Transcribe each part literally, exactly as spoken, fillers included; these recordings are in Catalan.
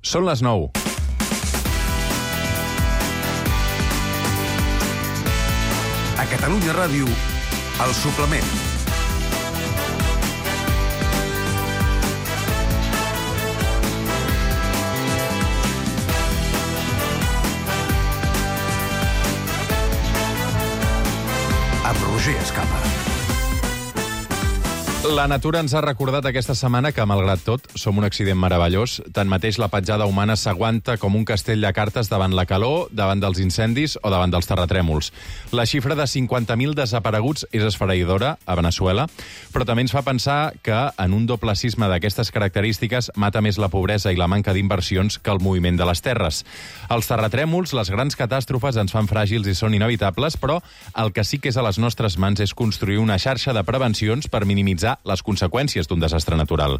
Són les nou. A Catalunya Ràdio, El Suplement. Amb Roger Escapa. La natura ens ha recordat aquesta setmana que, malgrat tot, som un accident meravellós. Tanmateix, la petjada humana s'aguanta com un castell de cartes davant la calor, davant dels incendis o davant dels terratrèmols. La xifra de cinquanta mil desapareguts és esfereïdora a Veneçuela, però també ens fa pensar que en un doble sisme d'aquestes característiques mata més la pobresa i la manca d'inversions que el moviment de les terres. Els terratrèmols, les grans catàstrofes, ens fan fràgils i són inevitables, però el que sí que és a les nostres mans és construir una xarxa de prevencions per minimitzar les conseqüències d'un desastre natural.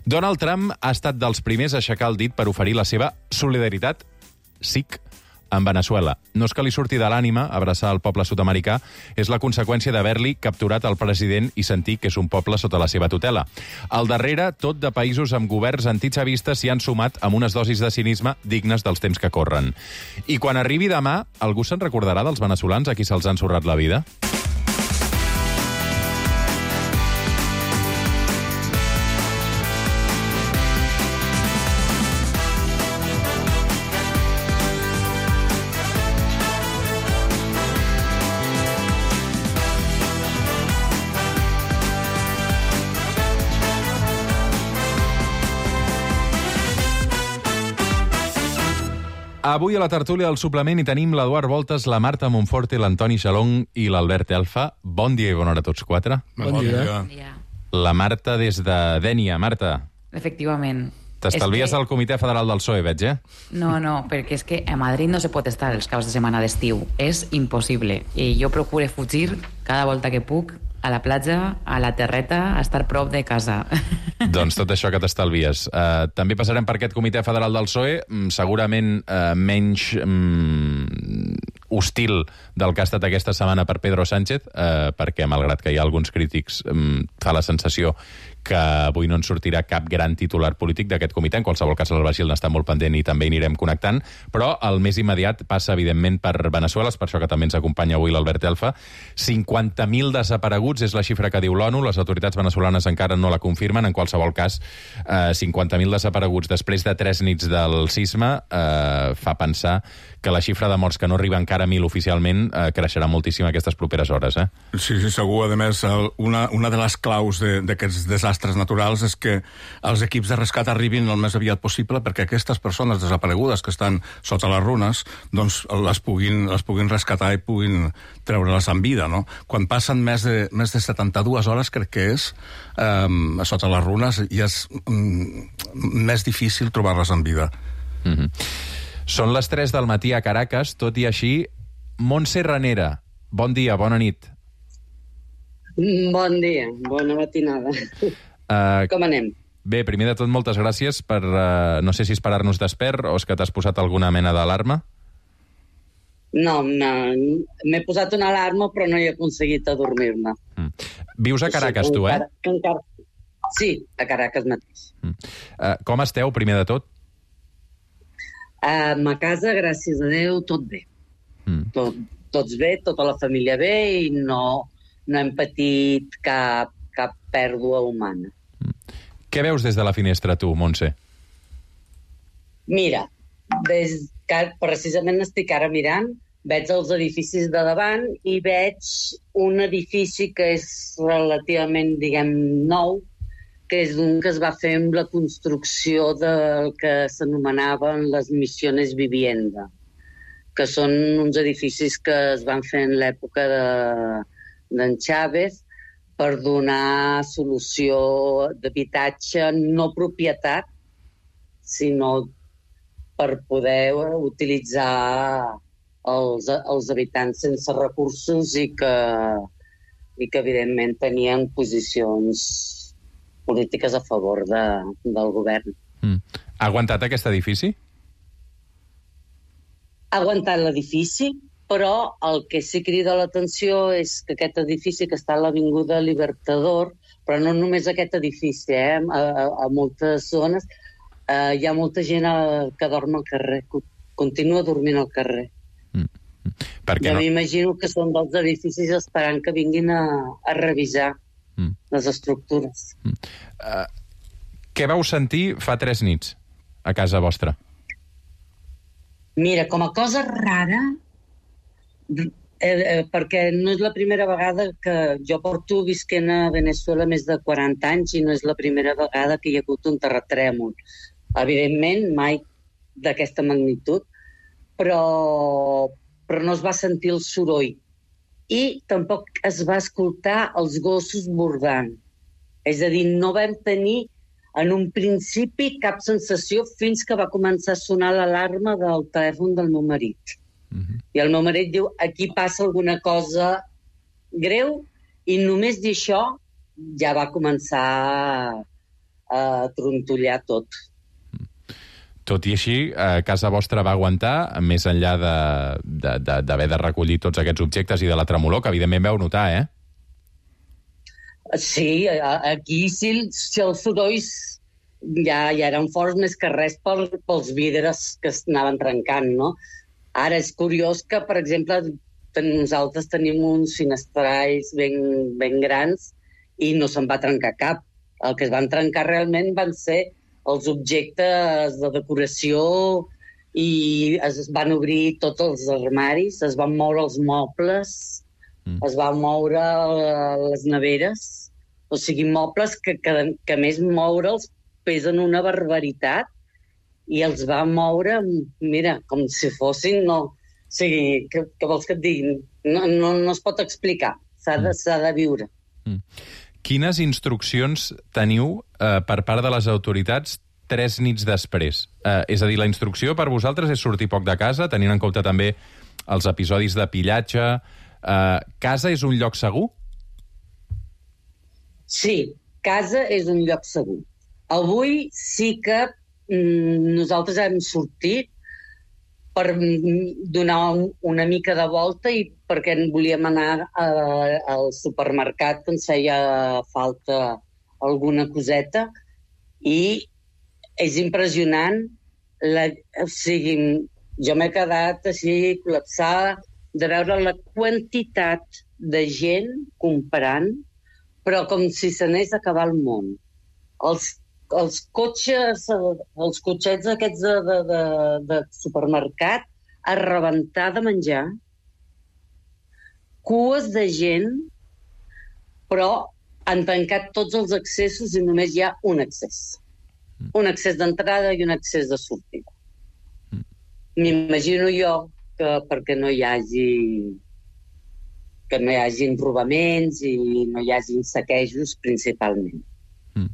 Donald Trump ha estat dels primers a aixecar el dit per oferir la seva solidaritat, S I C, en Veneçuela. No és que li surti de l'ànima abraçar el poble sud-americà, és la conseqüència d'haver-li capturat el president i sentir que és un poble sota la seva tutela. Al darrere, tot de països amb governs antichavistes s'hi han sumat amb unes dosis de cinisme dignes dels temps que corren. I quan arribi demà, algú se'n recordarà dels veneçolans a qui se'ls ha ensorrat la vida? Avui a la tertúlia del suplement hi tenim l'Eduard Voltes, la Marta Monforte, l'Antoni Xalong i l'Albert Elfa. Bon dia i bona hora a tots quatre. Bon, bon dia. Bon dia. La Marta des de Dénia. Marta. Efectivament. T'estalvies que... al Comitè Federal del P S O E, veig, eh? No, no, perquè és que a Madrid no se pot estar els caps de setmana d'estiu. És impossible. I jo procuro fugir cada volta que puc a la platja, a la terreta, a estar prop de casa. Doncs tot això que t'estalvies. Uh, també passarem per aquest Comitè Federal del P S O E, segurament uh, menys um, hostil del que ha estat aquesta setmana per Pedro Sánchez, uh, perquè, malgrat que hi ha alguns crítics, um, fa la sensació que avui no en sortirà cap gran titular polític d'aquest comitè. En qualsevol cas, el Basil n'està molt pendent i també hi anirem connectant, però el més immediat passa, evidentment, per Veneçuela, és per això que també ens acompanya avui l'Albert Elfa. cinquanta mil desapareguts és la xifra que diu l'ONU, les autoritats veneçolanes encara no la confirmen, en qualsevol cas, eh, cinquanta mil desapareguts després de tres nits del sisme eh, fa pensar que la xifra de morts, que no arriba encara a mil oficialment, eh, creixerà moltíssim aquestes properes hores, eh? Sí, sí, segur. A més, una, una de les claus d'aquests desastres naturals és que els equips de rescat arribin el més aviat possible perquè aquestes persones desaparegudes que estan sota les runes, doncs les puguin, les puguin rescatar i puguin treure-les en vida, no? Quan passen més de, més de setanta-dues hores, crec que és, eh, sota les runes, i és mm, més difícil trobar-les en vida. Mm-hmm. Són les tres del matí a Caracas, tot i així, Montse Ranera, bon dia, bona nit. Bon dia, bona matinada. Uh, Com anem? Bé, primer de tot, moltes gràcies per, uh, no sé si esperar-nos despert o és que t'has posat alguna mena d'alarma. No, no, m'he posat una alarma però no he aconseguit adormir-me. Mm. Vius a Caracas, sí, tu, eh? Encara... Sí, a Caracas mateix. Mm. Uh, com esteu, primer de tot? Uh, a casa, gràcies a Déu, tot bé. Mm. Tot, tots bé, tota la família bé i no, no hem patit cap, cap pèrdua humana. Mm. Què veus des de la finestra, tu, Montse? Mira, des que precisament estic ara mirant, veig els edificis de davant i veig un edifici que és relativament, diguem, nou, que és un que es va fer amb la construcció del que s'anomenaven les Misiones Vivienda, que són uns edificis que es van fer en l'època d'en Chávez per donar solució d'habitatge, no propietat, sinó per poder utilitzar els, els habitants sense recursos i que, i que evidentment tenien posicions polítiques a favor de, del govern. Mm. Ha aguantat aquest edifici? Ha aguantat l'edifici, però el que sí crida l'atenció és que aquest edifici que està a l'Avinguda Libertador, però no només aquest edifici, eh? a, a, a moltes zones, Uh, hi ha molta gent uh, que dorm al carrer, que continua dormint al carrer. Mm. Perquè jo no... m'imagino que són dels edificis esperant que vinguin a, a revisar mm. les estructures. Mm. Uh, què vau sentir fa tres nits a casa vostra? Mira, com a cosa rara, eh, eh, perquè no és la primera vegada que jo porto visquent a Venezuela més de quaranta anys i no és la primera vegada que hi ha hagut un terratrèmol. Evidentment, mai d'aquesta magnitud, però, però no es va sentir el soroll. I tampoc es va escoltar els gossos bordant. És a dir, no vam tenir en un principi cap sensació fins que va començar a sonar l'alarma del telèfon del meu marit. Uh-huh. I el meu marit diu, aquí passa alguna cosa greu, i només dir això ja va començar a trontollar tot. Tot i així, eh, casa vostra va aguantar, més enllà d'haver de, de, de, de recollir tots aquests objectes i de la tremolor, que evidentment vau notar, eh? Sí, aquí sí, si els sorolls ja, ja eren forts més que res per, pels vidres que es anaven trencant, no? Ara és curiós que, per exemple, ten, nosaltres tenim uns finestrals ben, ben grans i no se'n va trencar cap. El que es van trencar realment van ser els objectes de decoració i es van obrir tots els armaris, es van moure els mobles, mm. es van moure les neveres, o sigui, mobles que, que, que més moure'ls pesen una barbaritat i els va moure, mira, com si fossin, no, o sigui, què, què vols que et digui? No, no, no es pot explicar, s'ha de, s'ha de viure. Mm. Quines instruccions teniu eh, per part de les autoritats tres nits després? Eh, és a dir, la instrucció per vosaltres és sortir poc de casa, tenint en compte també els episodis de pillatge. Eh, casa és un lloc segur? Sí, casa és un lloc segur. Avui sí que mm, nosaltres hem sortit per donar una mica de volta i perquè volíem anar a, al supermercat que ens feia falta alguna coseta i és impressionant la, o sigui, jo m'he quedat així col·lapsada de veure la quantitat de gent comprant, però com si s'anés a acabar el món. Els els cotxes, els cotxets aquests de, de, de, de supermercat a rebentar de menjar, cues de gent, però han tancat tots els accessos i només hi ha un accés. Un accés d'entrada i un accés de sortida. M'imagino jo que perquè no hi hagi que no hi hagi robaments i no hi hagi saquejos principalment. Mm.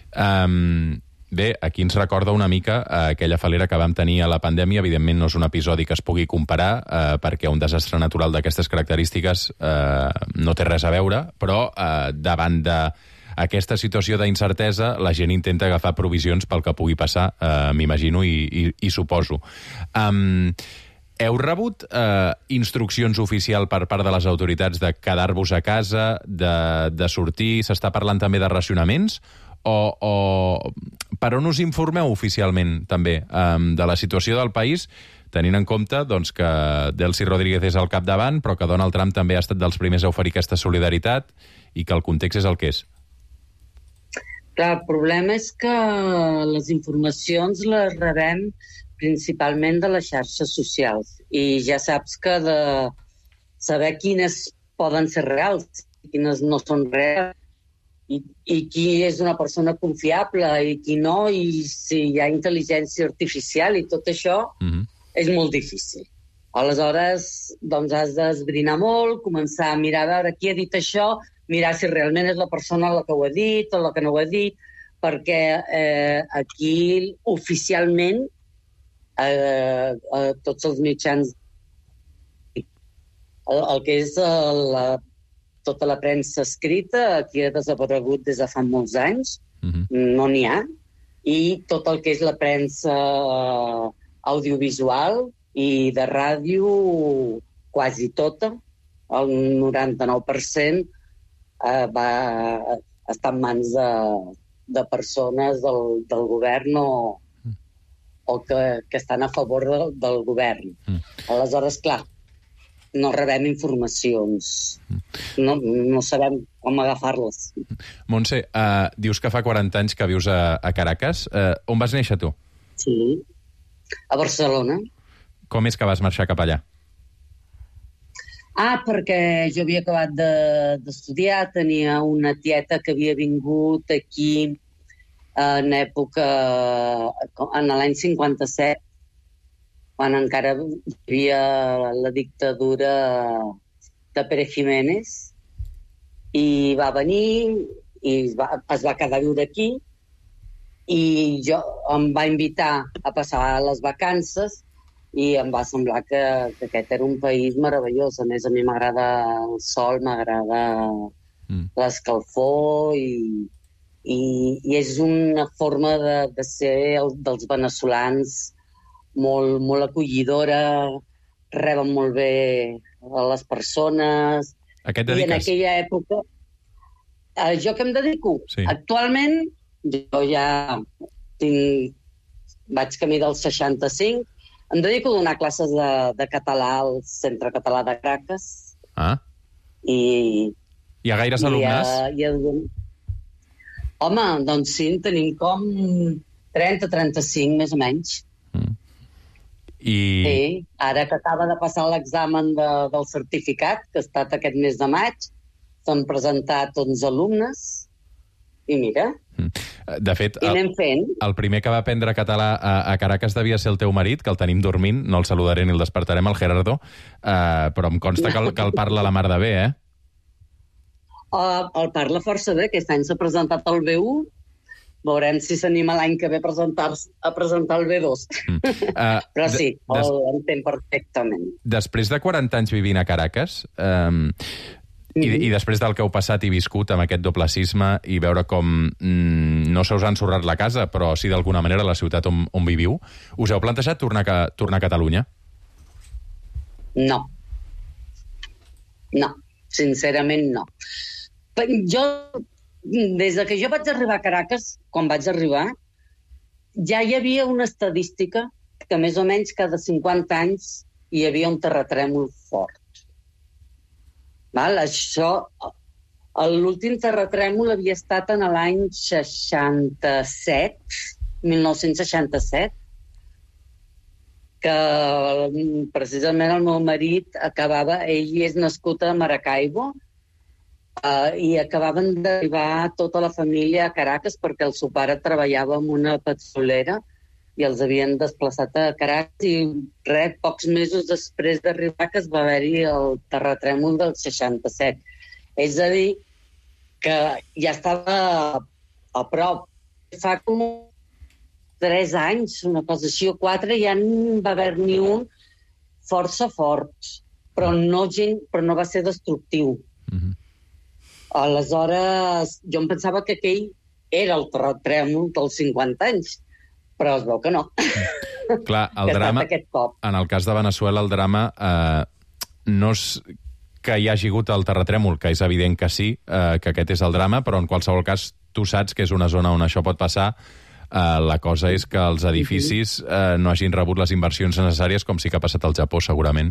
Um, bé, aquí ens recorda una mica uh, aquella falera que vam tenir a la pandèmia. Evidentment no és un episodi que es pugui comparar uh, perquè un desastre natural d'aquestes característiques uh, no té res a veure, però uh, davant d'aquesta situació d'incertesa la gent intenta agafar provisions pel que pugui passar, uh, m'imagino i, i, i suposo. Um, heu rebut uh, instruccions oficials per part de les autoritats de quedar-vos a casa, de, de sortir? S'està parlant també de racionaments? O, o per on us informeu oficialment també um, de la situació del país, tenint en compte doncs, que Delcy Rodríguez és al capdavant, però que Donald Trump també ha estat dels primers a oferir aquesta solidaritat i que el context és el que és? Clar, el problema és que les informacions les rebem principalment de les xarxes socials i ja saps que de saber quines poden ser reals i quines no són reals I, i qui és una persona confiable i qui no, i si hi ha intel·ligència artificial i tot això, mm-hmm. és molt difícil. Aleshores, doncs has d'esbrinar molt, començar a mirar a veure qui ha dit això, mirar si realment és la persona la que ho ha dit o la que no ho ha dit, perquè eh, aquí oficialment eh, eh, tots els mitjans el, el que és eh, la tota la premsa escrita aquí ha desaparegut des de fa molts anys, mm-hmm. no n'hi ha, i tot el que és la premsa audiovisual i de ràdio, quasi tota, el noranta-nou per cent eh, va estar en mans de, de persones del, del govern o, o que, que estan a favor del, del govern. Mm. Aleshores, clar, no rebem informacions. No, no sabem com agafar-les. Montse, uh, dius que fa quaranta anys que vius a, a Caracas. Uh, on vas néixer, tu? Sí, a Barcelona. Com és que vas marxar cap allà? Ah, perquè jo havia acabat d'estudiar, de, tenia una tieta que havia vingut aquí en època, en l'any cinquanta-set, quan encara hi havia la dictadura de Pérez Jiménez, i va venir i es va, es va quedar a viure aquí, i jo em va invitar a passar les vacances i em va semblar que, que aquest era un país meravellós. A més, a mi m'agrada el sol, m'agrada mm. l'escalfor i, i, i és una forma de, de ser el, dels veneçolans molt, molt acollidora, reben molt bé a les persones. A què et dediques? I en aquella època... Eh, jo què em dedico? Sí. Actualment, jo ja tinc, vaig camí dels seixanta-cinc, em dedico a donar classes de, de català al Centre Català de Caracas. Ah. I... Hi ha gaires alumnes? I a, i a... Home, doncs sí, en tenim com trenta a trenta-cinc, més o menys. Mm. I... Sí, ara que acaba de passar l'examen de, del certificat, que ha estat aquest mes de maig, s'han presentat onze alumnes, i mira... Mm. De fet, I anem fent. El, el primer que va aprendre català a, a Caracas devia ser el teu marit, que el tenim dormint, no el saludaré ni el despertarem, el Gerardo, uh, però em consta que el, que el parla la mar de bé, eh? Uh, el parla força bé, aquest any s'ha presentat el B u, veurem si s'anima l'any que ve a presentar, a presentar el B dos. Mm. Uh, però sí, des... l'entén perfectament. Després de quaranta anys vivint a Caracas, um, I, I després del que heu passat i viscut amb aquest doble sisme i veure com mm, no se us ha ensorrat la casa, però sí d'alguna manera la ciutat on, on viviu, us heu plantejat tornar a, tornar a Catalunya? No. No. Sincerament, no. Jo, des de que jo vaig arribar a Caracas, quan vaig arribar, ja hi havia una estadística que més o menys cada cinquanta anys hi havia un terratrèmol fort. Val? Això, l'últim terratrèmol havia estat en l'any seixanta-set, mil nou-cents seixanta-set, que precisament el meu marit acabava, ell és nascut a Maracaibo, uh, i acabaven d'arribar tota la família a Caracas perquè el seu pare treballava en una petrolera i els havien desplaçat a Caracas i res, pocs mesos després d'arribar que es va haver-hi el terratrèmol del seixanta-set. És a dir, que ja estava a prop. Fa com tres anys, una cosa així, o quatre, ja en va haver-n'hi un força fort, però no, gent, però no va ser destructiu. Mm-hmm. Aleshores, jo em pensava que aquell era el terratrèmol dels cinquanta anys, però es veu que no. Clar, el drama, en el cas de Veneçuela, el drama eh, no és que hi hagi hagut el terratrèmol, que és evident que sí, eh, que aquest és el drama, però en qualsevol cas tu saps que és una zona on això pot passar. Uh, la cosa és que els edificis uh, no hagin rebut les inversions necessàries, com sí que ha passat al Japó, segurament,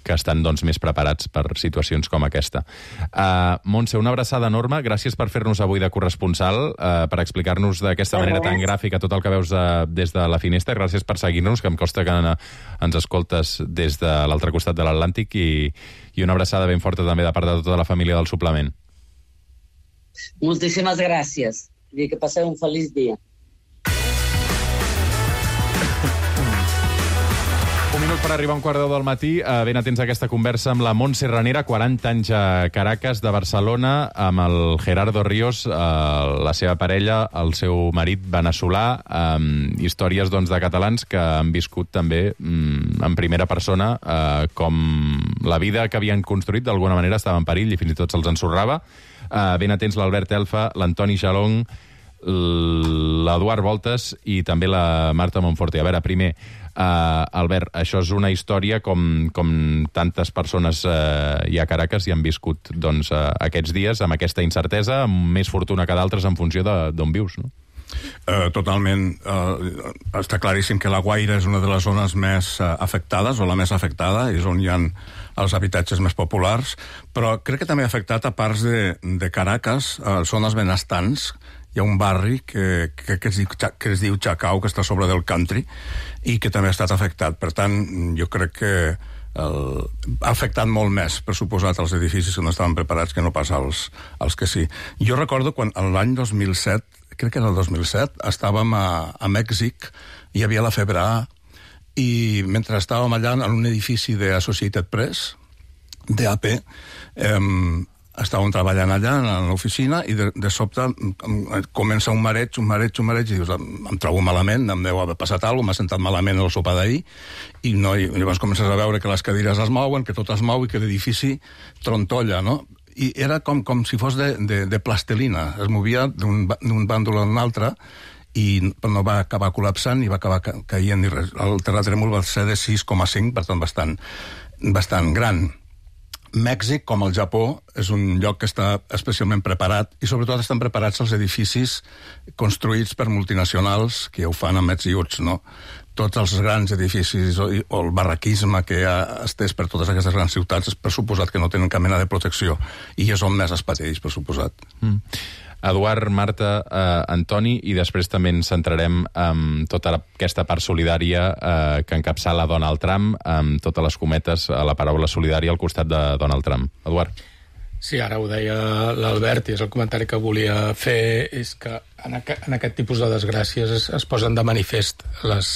que estan doncs, més preparats per situacions com aquesta. Uh, Montse, una abraçada enorme. Gràcies per fer-nos avui de corresponsal, uh, per explicar-nos d'aquesta manera tan gràfica tot el que veus de, des de la finestra. Gràcies per seguir-nos, que em costa que ens escoltes des de l'altre costat de l'Atlàntic, i, i una abraçada ben forta també de part de tota la família del Suplement. Moltíssimes gràcies. I que passeu un feliç dia. Un minut per arribar a un quart de deu del matí. Uh, ben atents a aquesta conversa amb la Montse Ranera, quaranta anys a Caracas, de Barcelona, amb el Gerardo Ríos, uh, la seva parella, el seu marit veneçolà, um, històries doncs, de catalans que han viscut també um, en primera persona uh, com la vida que havien construït d'alguna manera estava en perill i fins i tot se'ls ensorrava. Uh, ben atents l'Albert Elfa, l'Antoni Jalong, l'Eduard Voltes i també la Marta Monforte. A veure, primer, Uh, Albert, això és una història com, com tantes persones uh, hi ha a Caracas i han viscut doncs, uh, aquests dies amb aquesta incertesa, amb més fortuna que d'altres en funció d'on vius, no? Uh, totalment. Uh, està claríssim que La Guaira és una de les zones més uh, afectades, o la més afectada, és on hi ha els habitatges més populars, però crec que també ha afectat a parts de, de Caracas, uh, zones benestants. Hi ha un barri que, que, que, es diu, que es diu Chacao, que està sobre del country, i que també ha estat afectat. Per tant, jo crec que el, ha afectat molt més, per suposat, els edificis que no estaven preparats que no pas als, als que sí. Jo recordo quan l'any dos mil set, crec que era el dos mil set, estàvem a, a Mèxic, hi havia la febre A, i mentre estàvem allà en un edifici de Associated Press, d'A P, eh, estàvem treballant allà en l'oficina i de, de sobte comença un mareig, un mareig, un mareig i dius, em trobo malament, em deu haver passat alguna cosa, m'ha sentat malament el sopar d'ahir i, no, i llavors comences a veure que les cadires es mouen, que tot es mou i que l'edifici trontolla, no? I era com, com si fos de, de, de plastelina, es movia d'un bàndol a un altre i no va acabar col·lapsant i va acabar ca caient ni res. El terratrèmol va ser de sis coma cinc, per tant bastant, bastant gran. Mèxic, com el Japó, és un lloc que està especialment preparat i sobretot estan preparats els edificis construïts per multinacionals que ho fan amb ets i uts, no? Tots els grans edificis o, o el barraquisme que ha estès per totes aquestes grans ciutats és per suposat que no tenen cap mena de protecció i és on més es pateix, per suposat. Mm. Eduard, Marta, eh, Antoni, i després també ens centrarem en tota aquesta part solidària eh, que encapçala Donald Trump, amb totes les cometes a la paraula solidària al costat de Donald Trump. Eduard. Sí, ara ho deia l'Albert, i és el comentari que volia fer, és que en, aqu en aquest tipus de desgràcies es, es posen de manifest les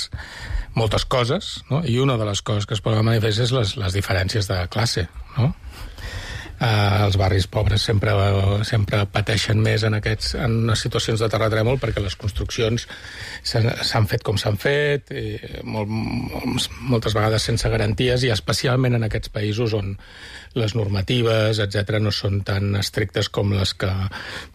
moltes coses, no? I una de les coses que es posen de manifest és les, les diferències de classe, no? Uh, els barris pobres sempre, sempre pateixen més en, aquests, en unes situacions de terratrèmol perquè les construccions s'han fet com s'han fet, i molt, moltes vegades sense garanties, i especialment en aquests països on les normatives, etcètera, no són tan estrictes com les que,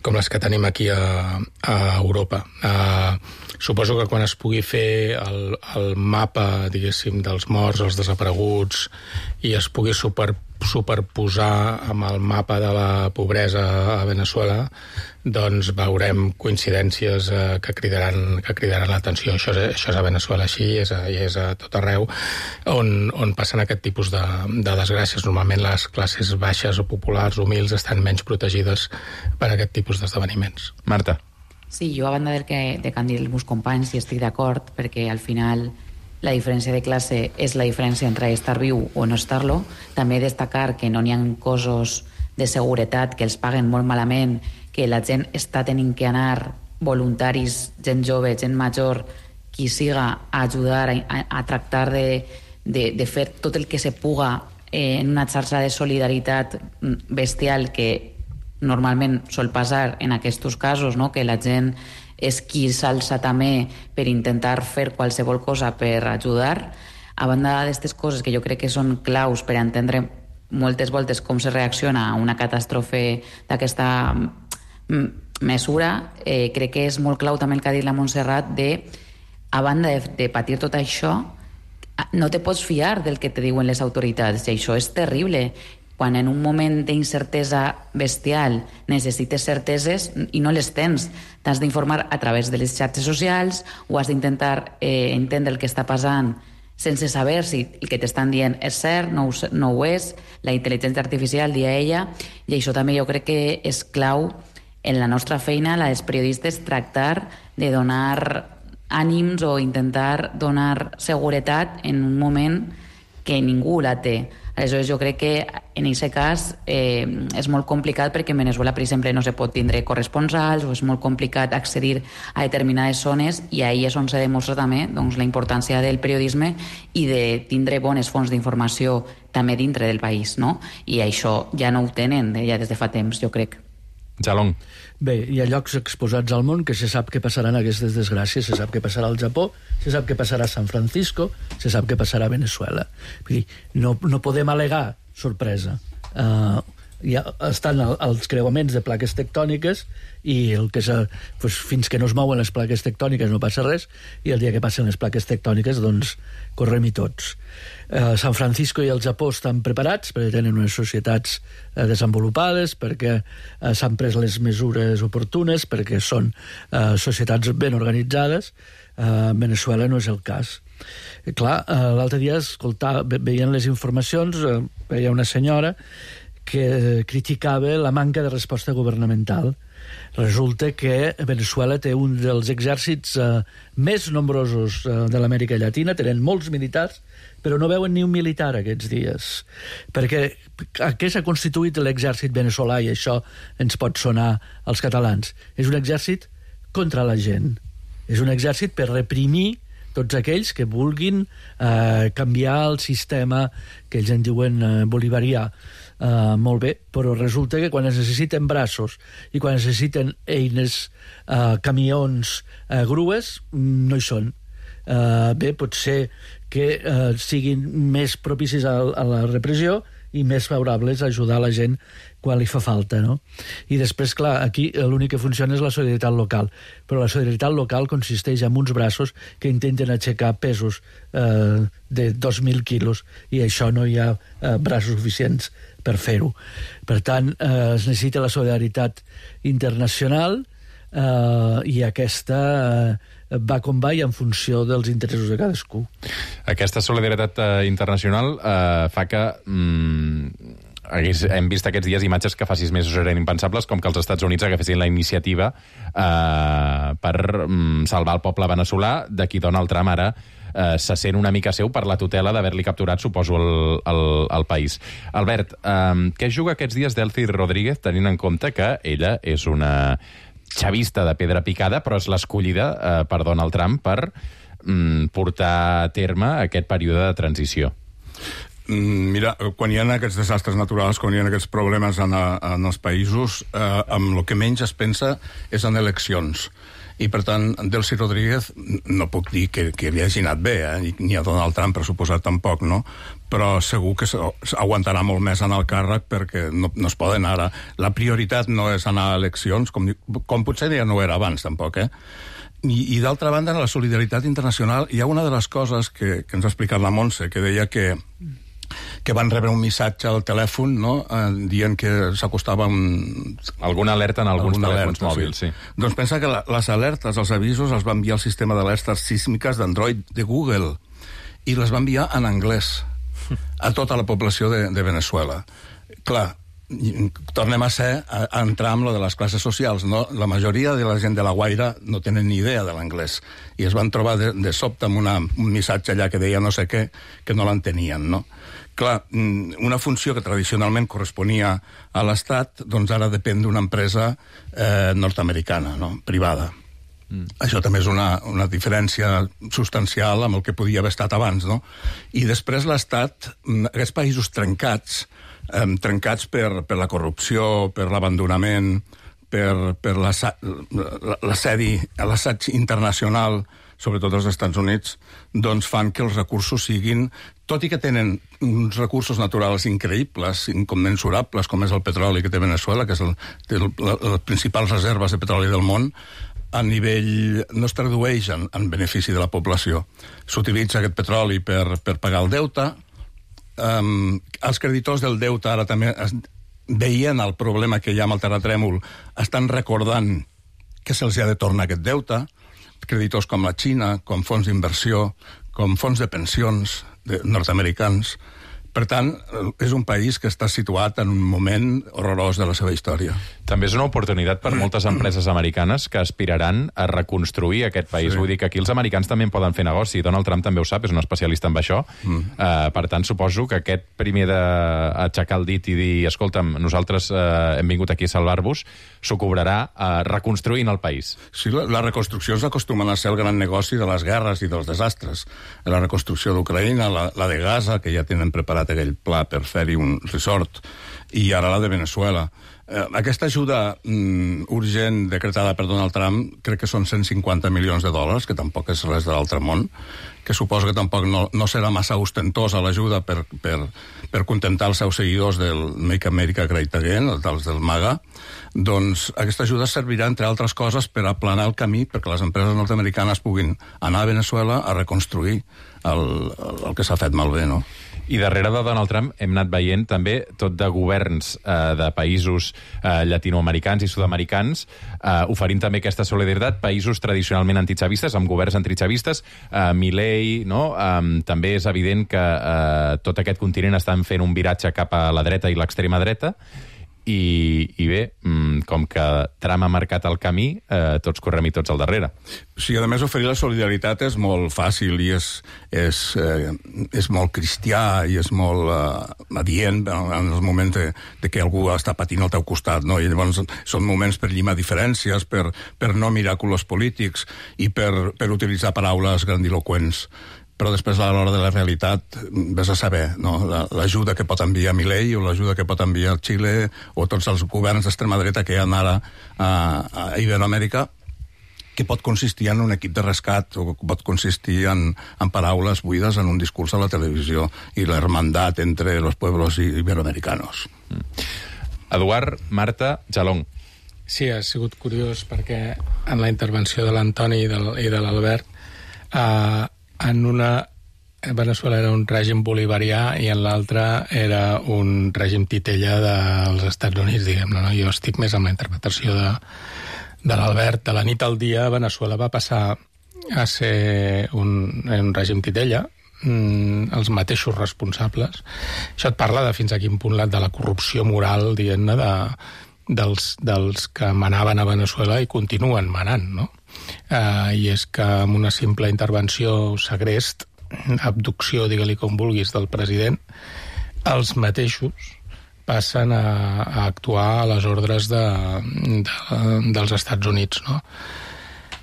com les que tenim aquí a, a Europa. Uh, suposo que quan es pugui fer el, el mapa, diguéssim, dels morts, els desapareguts, i es pugui super, superposar amb el mapa de la pobresa a Venezuela, doncs veurem coincidències eh, que cridaran, que cridaran l'atenció. Això, és, això és a Venezuela així, és a, i és a tot arreu, on, on passen aquest tipus de, de desgràcies. Normalment les classes baixes o populars, humils, estan menys protegides per aquest tipus d'esdeveniments. Marta. Sí, jo a banda del que, de que han dit els meus companys, hi estic d'acord, perquè al final la diferència de classe és la diferència entre estar viu o no estar-lo. També destacar que no n'hi ha cossos de seguretat que els paguen molt malament, que la gent està tenint que anar, voluntaris, gent jove, gent major, qui siga, a ajudar, a, a tractar de, de, de fer tot el que se puga eh, en una xarxa de solidaritat bestial que normalment sol passar en aquests casos, no? Que la gent és qui s'alça també per intentar fer qualsevol cosa per ajudar. A banda d'aquestes coses que jo crec que són claus per entendre moltes voltes com se reacciona a una catàstrofe d'aquesta mesura, eh, crec que és molt clau també el que ha dit la Montserrat de, a banda de, de patir tot això, no te pots fiar del que te diuen les autoritats, i això és terrible. Quan en un moment d'incertesa bestial necessites certeses i no les tens, t'has d'informar a través de les xarxes socials o has d'intentar eh, entendre el que està passant sense saber si el que t'estan dient és cert, no ho, no ho és, la intel·ligència artificial, dia ella, i això també jo crec que és clau en la nostra feina, la dels periodistes, tractar de donar ànims o intentar donar seguretat en un moment que ningú la té. Aleshores, jo crec que en aquest cas eh, és molt complicat perquè en Venezuela, per exemple, no se pot tindre corresponsals o és molt complicat accedir a determinades zones, i ahí és on se demostra també doncs, la importància del periodisme i de tindre bones fonts d'informació també dintre del país, no? I això ja no ho tenen ja des de fa temps, jo crec. Jalong. Bé, hi ha llocs exposats al món que se sap què passaran aquestes desgràcies, se sap què passarà al Japó, se sap què passarà a San Francisco, se sap què passarà a Venezuela. Vull dir, no, no podem al·legar sorpresa. Uh, ja estan els creuaments de plaques tectòniques i el que és, doncs, fins que no es mouen les plaques tectòniques no passa res, i el dia que passen les plaques tectòniques doncs correm-hi tots. Eh, San Francisco i el Japó estan preparats perquè tenen unes societats eh, desenvolupades, perquè eh, s'han pres les mesures oportunes, perquè són eh, societats ben organitzades. Eh, Venezuela no és el cas. Eh, clar, eh, l'altre dia escoltava, veient les informacions, eh, veia una senyora que criticava la manca de resposta governamental. Resulta que Venezuela té un dels exèrcits eh, més nombrosos eh, de l'Amèrica Llatina, tenen molts militars, però no veuen ni un militar aquests dies. Perquè a què s'ha constituït l'exèrcit veneçolà, i això ens pot sonar als catalans? És un exèrcit contra la gent. És un exèrcit per reprimir tots aquells que vulguin eh, canviar el sistema que ells en diuen eh, bolivarià. Uh, molt bé, però resulta que quan es necessiten braços i quan es necessiten eines, uh, camions, uh, grues, no hi són. Uh, bé, pot ser que uh, siguin més propicis a, a la repressió i més favorables a ajudar la gent quan li fa falta, no? I després, clar, aquí l'únic que funciona és la solidaritat local, però la solidaritat local consisteix en uns braços que intenten aixecar pesos eh, de dos mil quilos, i això no hi ha eh, braços suficients per fer-ho. Per tant, eh, es necessita la solidaritat internacional eh, i aquesta eh, va com va i en funció dels interessos de cadascú. Aquesta solidaritat eh, internacional eh, fa que... Mm, hem vist aquests dies imatges que fa sis mesos eren impensables, com que els Estats Units agafessin la iniciativa eh, per mm, salvar el poble veneçolà, de qui Donald Trump ara eh, se sent una mica seu per la tutela d'haver-li capturat, suposo, el, el, el país. Albert, eh, què juga aquests dies Delcy Rodríguez, tenint en compte que ella és una xavista de pedra picada, però és l'escollida eh, per Donald Trump per mm, portar a terme aquest període de transició? Mira, quan hi ha aquests desastres naturals, quan hi ha aquests problemes en, a, en els països, eh, amb el que menys es pensa és en eleccions. I, per tant, Delcy Rodríguez, no puc dir que, que li hagi anat bé, eh? Ni a Donald Trump, per suposat, tampoc, no? Però segur que aguantarà molt més en el càrrec perquè no, no es poden ara. La prioritat no és anar a eleccions, com, com potser ja no era abans, tampoc, eh? I, i d'altra banda, en la solidaritat internacional hi ha una de les coses que, que ens ha explicat la Montse, que deia que que van rebre un missatge al telèfon, no?, eh, dient que s'acostava un... Alguna alerta en alguns Alguna telèfons alerta, mòbils, sí. sí. Doncs pensa que la, les alertes, els avisos, els va enviar el sistema d'alertes sísmiques d'Android de Google, i les va enviar en anglès a tota la població de, de Venezuela. Clar, tornem a ser, a, a entrar amb lo de les classes socials, no? La majoria de la gent de la Guaira no tenen ni idea de l'anglès, i es van trobar de, de sobte amb una, un missatge allà que deia no sé què, que no l'entenien, no? Clar, una funció que tradicionalment corresponia a l'Estat, doncs ara depèn d'una empresa eh, nord-americana, no?, privada. Mm. Això també és una, una diferència substancial amb el que podia haver estat abans, no? I després l'Estat, aquests països trencats, eh, trencats per, per la corrupció, per l'abandonament, per, per l'assedi, l'assaig internacional, sobretot als Estats Units, doncs fan que els recursos siguin, tot i que tenen uns recursos naturals increïbles, incommensurables, com és el petroli que té Venezuela, que és el, té el, les principals reserves de petroli del món, a nivell no es tradueix en, en benefici de la població. S'utilitza aquest petroli per, per pagar el deute. Um, els creditors del deute ara també, es, veient el problema que hi ha amb el terratrèmol, estan recordant que se'ls ha de tornar aquest deute. Creditors com la Xina, com fons d'inversió, com fons de pensions de nord-americans. Per tant, és un país que està situat en un moment horrorós de la seva història. També és una oportunitat per moltes empreses americanes que aspiraran a reconstruir aquest país. Sí. Vull dir que aquí els americans també en poden fer negoci. Donald Trump també ho sap, és un especialista en això. Mm. Uh, per tant, suposo que aquest primer d'aixecar el dit i dir, escolta'm, nosaltres uh, hem vingut aquí a salvar-vos, s'ho cobrarà uh, reconstruint el país. Sí, la, les reconstruccions acostumen a ser el gran negoci de les guerres i dels desastres. La reconstrucció d'Ucraïna, la, la de Gaza, que ja tenen preparat aquell pla per fer-hi un resort, i ara la de Venezuela. eh, aquesta ajuda mm, urgent decretada per Donald Trump crec que són cent cinquanta milions de dòlars, que tampoc és res de l'altre món, que suposo que tampoc no, no serà massa ostentosa l'ajuda per, per, per contentar els seus seguidors del Make America Great Again, dels del MAGA. Doncs aquesta ajuda servirà, entre altres coses, per aplanar el camí perquè les empreses nord-americanes puguin anar a Venezuela a reconstruir el, el, el que s'ha fet malbé, no? I darrere de Donald Trump hem anat veient també tot de governs eh, de països eh, llatinoamericans i sud-americans eh, oferint també aquesta solidaritat, països tradicionalment antichavistes, amb governs antichavistes, eh, Milei, no? Eh, també és evident que eh, tot aquest continent estan fent un viratge cap a la dreta i l'extrema dreta, i, i bé, com que Trump ha marcat el camí, eh, tots correm i tots al darrere. Sí, a més, oferir la solidaritat és molt fàcil i és, és, eh, és molt cristià i és molt eh, adient en els moments de, de que algú està patint al teu costat, no? I llavors són moments per llimar diferències, per, per no mirar colors polítics i per, per utilitzar paraules grandiloquents. Però després, a l'hora de la realitat, ves a saber, no? L'ajuda que pot enviar Milei o l'ajuda que pot enviar Xile o tots els governs d'extrema dreta que hi ha ara a, a Iberoamèrica, que pot consistir en un equip de rescat o pot consistir en, en paraules buides en un discurs a la televisió i l'hermandat entre els pueblos iberoamericanos. Mm. Eduard, Marta, Jalón. Sí, ha sigut curiós perquè en la intervenció de l'Antoni i de, i de l'Albert eh, en una Venezuela era un règim bolivarià i en l'altra era un règim titella dels Estats Units, diguem-ne, no? Jo estic més amb la interpretació de, de l'Albert. De la nit al dia, Venezuela va passar a ser un, un règim titella, mm, els mateixos responsables. Això et parla de fins a quin punt de la corrupció moral, diguem-ne, de, dels, dels que manaven a Venezuela i continuen manant, no? Uh, I és que amb una simple intervenció segrest, abducció, digue-li com vulguis, del president, els mateixos passen a, a actuar a les ordres de, de, dels Estats Units, no?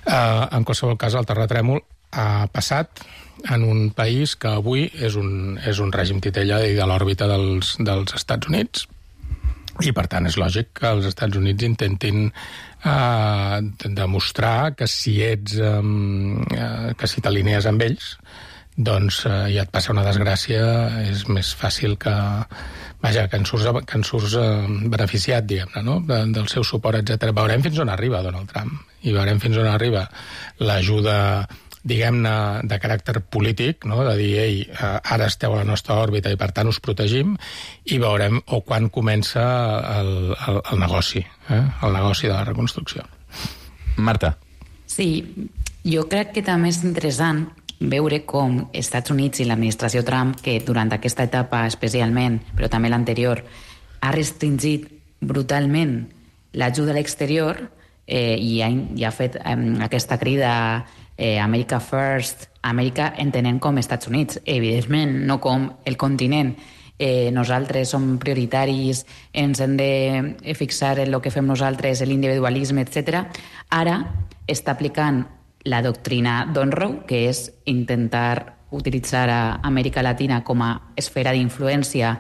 Uh, en qualsevol cas, el terratrèmol ha passat en un país que avui és un, és un règim titella i de l'òrbita dels, dels Estats Units, i per tant és lògic que els Estats Units intentin eh, demostrar que si ets eh, que si t'alinees amb ells, doncs eh, ja et passa una desgràcia, és més fàcil que vaja, que en surts, que en surts eh, beneficiat, diguem-ne, no? De, del seu suport, etcètera. Veurem fins on arriba Donald Trump i veurem fins on arriba l'ajuda, diguem-ne, de caràcter polític, no? De dir, ei, ara esteu a la nostra òrbita i per tant us protegim, i veurem o quan comença el, el, el negoci, eh? el negoci de la reconstrucció. Marta. Sí, jo crec que també és interessant veure com Estats Units i l'administració Trump, que durant aquesta etapa especialment, però també l'anterior, ha restringit brutalment l'ajuda a l'exterior eh, i, ha, i ha fet eh, aquesta crida Eh, America First, Amèrica entenent com Estats Units, evidentment, no com el continent. Eh, nosaltres som prioritaris, ens hem de fixar en el que fem nosaltres, l'individualisme, etcètera. Ara està aplicant la doctrina d'Onroe, que és intentar utilitzar a Amèrica Latina com a esfera d'influència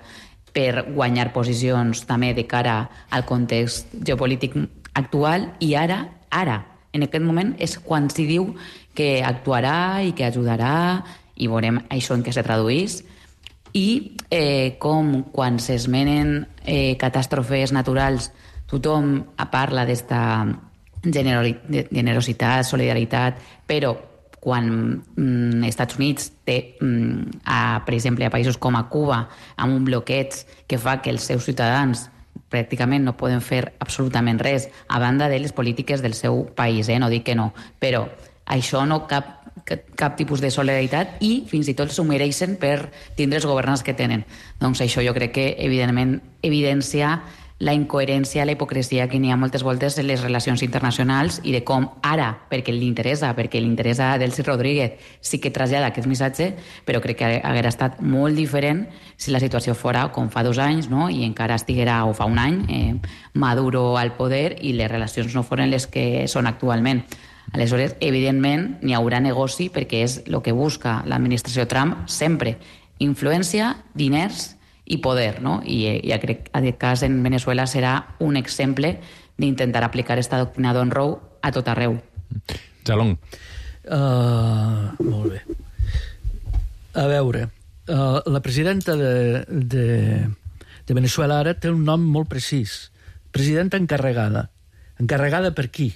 per guanyar posicions també de cara al context geopolític actual, i ara, ara, en aquest moment és quan s'hi diu que actuarà i que ajudarà, i veurem això en què se traduís. I eh, com quan s'esmenen eh, catàstrofes naturals, tothom parla d'esta generositat, solidaritat, però quan mm, Estats Units té, mm, a, per exemple, a països com a Cuba, amb un bloqueig que fa que els seus ciutadans pràcticament no poden fer absolutament res, a banda de les polítiques del seu país, eh? No dic que no, però això no cap, cap, cap tipus de solidaritat, i fins i tot s'ho mereixen per tindre els governants que tenen. Doncs això jo crec que evidentment evidencia la incoherència, la hipocresia que n'hi ha moltes voltes en les relacions internacionals, i de com ara, perquè li interessa, perquè li interessa a Delcy Rodríguez, sí que trasllada aquest missatge, però crec que haguera estat molt diferent si la situació fora com fa dos anys, no? I encara estiguera, o fa un any, eh, Maduro al poder i les relacions no foren les que són actualment. Aleshores, evidentment, n'hi haurà negoci, perquè és el que busca l'administració Trump sempre: influència, diners i poder, no? I ja crec que aquest cas en Venezuela serà un exemple d'intentar aplicar esta doctrina d'Onroe a tot arreu. Jalón. Uh, molt bé. A veure, uh, la presidenta de, de, de Venezuela ara té un nom molt precís. Presidenta encarregada. Encarregada per qui?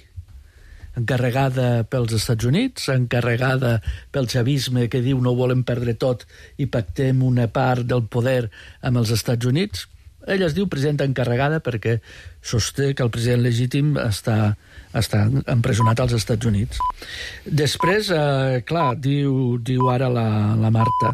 Encarregada pels Estats Units, encarregada pel xavisme que diu no volem perdre tot i pactem una part del poder amb els Estats Units. Ella es diu presidenta encarregada perquè sosté que el president legítim està, està empresonat als Estats Units. Després, eh, clar, diu, diu ara la, la Marta,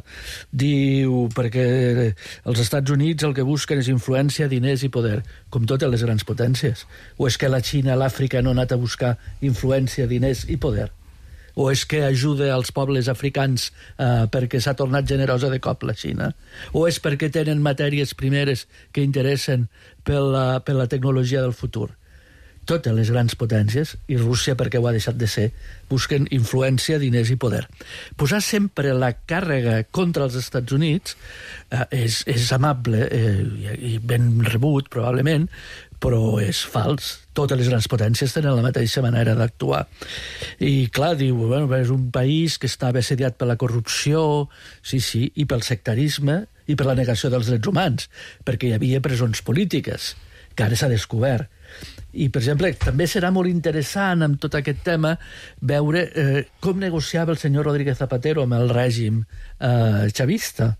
diu perquè els Estats Units el que busquen és influència, diners i poder, com totes les grans potències. O és que la Xina, l'Àfrica no ha anat a buscar influència, diners i poder? O és que ajuda als pobles africans eh, perquè s'ha tornat generosa de cop la Xina? O és perquè tenen matèries primeres que interessen per la, per la tecnologia del futur? Totes les grans potències, i Rússia perquè ho ha deixat de ser, busquen influència, diners i poder. Posar sempre la càrrega contra els Estats Units eh, és, és amable eh, i ben rebut, probablement, però és fals. Totes les grans potències tenen la mateixa manera d'actuar. I, clar, diu, bueno, és un país que estava assediat per la corrupció, sí, sí, i pel sectarisme, i per la negació dels drets humans, perquè hi havia presons polítiques, que ara s'ha descobert. I, per exemple, també serà molt interessant amb tot aquest tema veure eh, com negociava el senyor Rodríguez Zapatero amb el règim eh, xavista,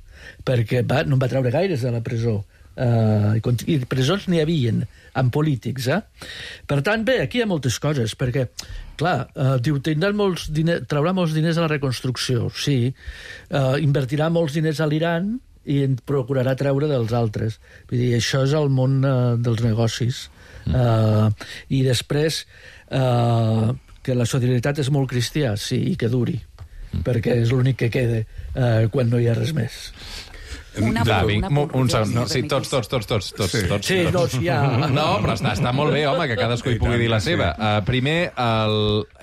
perquè va, no en va treure gaires de la presó. Uh, i presons n'hi havien amb polítics, eh? Per tant, bé, aquí hi ha moltes coses, perquè, clar, uh, diu, tindrà molts diners, traurà molts diners a la reconstrucció, sí, uh, invertirà molts diners a l'Iran i en procurarà treure dels altres. Vull dir, això és el món uh, dels negocis. Uh, I després, uh, que la solidaritat és molt cristià, sí, i que duri, perquè és l'únic que queda uh, quan no hi ha res més. Una Va, por, vinc, una por, un segon. No, Rubén, sí, tots, tots, tots, tots, tots, Sí. tots. Sí, no, sí, ja... No, però està, està molt bé, home, que cadascú hi I pugui tant, dir la sí. seva. Uh, primer, el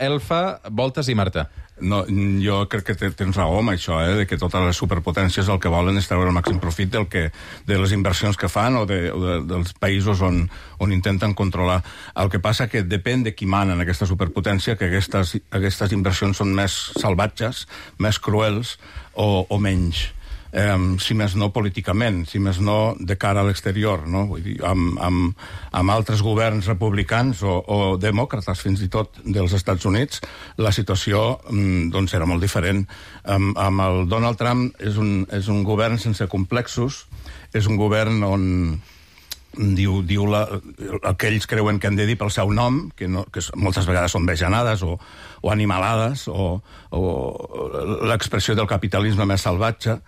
Elfa, Voltes i Marta. No, jo crec que tens raó amb això, eh, de que totes les superpotències el que volen és treure el màxim profit del que, de les inversions que fan o, de, o de, dels països on, on intenten controlar. El que passa que depèn de qui mana en aquesta superpotència, que aquestes, aquestes inversions són més salvatges, més cruels o, o menys. Um, si més no políticament, si més no de cara a l'exterior, no? Vull dir, amb, amb, amb altres governs republicans o, o demòcrates fins i tot dels Estats Units, la situació um, doncs era molt diferent. Um, amb el Donald Trump és un, és un govern sense complexos, és un govern on diu, diu la, el que ells creuen que han de dir pel seu nom, que, no, que moltes vegades són vejanades o, o animalades o, o l'expressió del capitalisme més salvatge.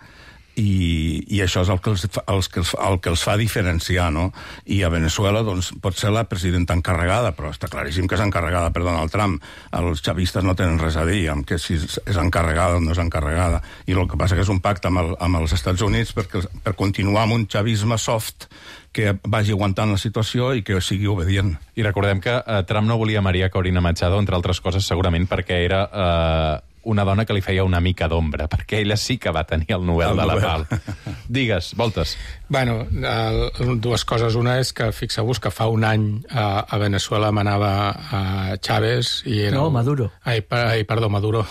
I, i això és el que, els, els, que els, el que els fa diferenciar, no? I a Venezuela, doncs, pot ser la presidenta encarregada, però està claríssim que és encarregada per Donald Trump. Els xavistes no tenen res a dir amb que si és encarregada o no és encarregada. I el que passa que és un pacte amb, el, amb els Estats Units perquè, per continuar amb un xavisme soft que vagi aguantant la situació i que sigui obedient. I recordem que uh, Trump no volia Maria Corina Machado, entre altres coses, segurament perquè era... Uh, una dona que li feia una mica d'ombra, perquè ella sí que va tenir el Nobel el de Nobel. La Pau. Digues, Voltes. Bueno, el, dues coses. Una és que fixeu-vos que fa un any a, a Venezuela manava a Chávez i era... No, Maduro. Ai, ai perdó, Maduro.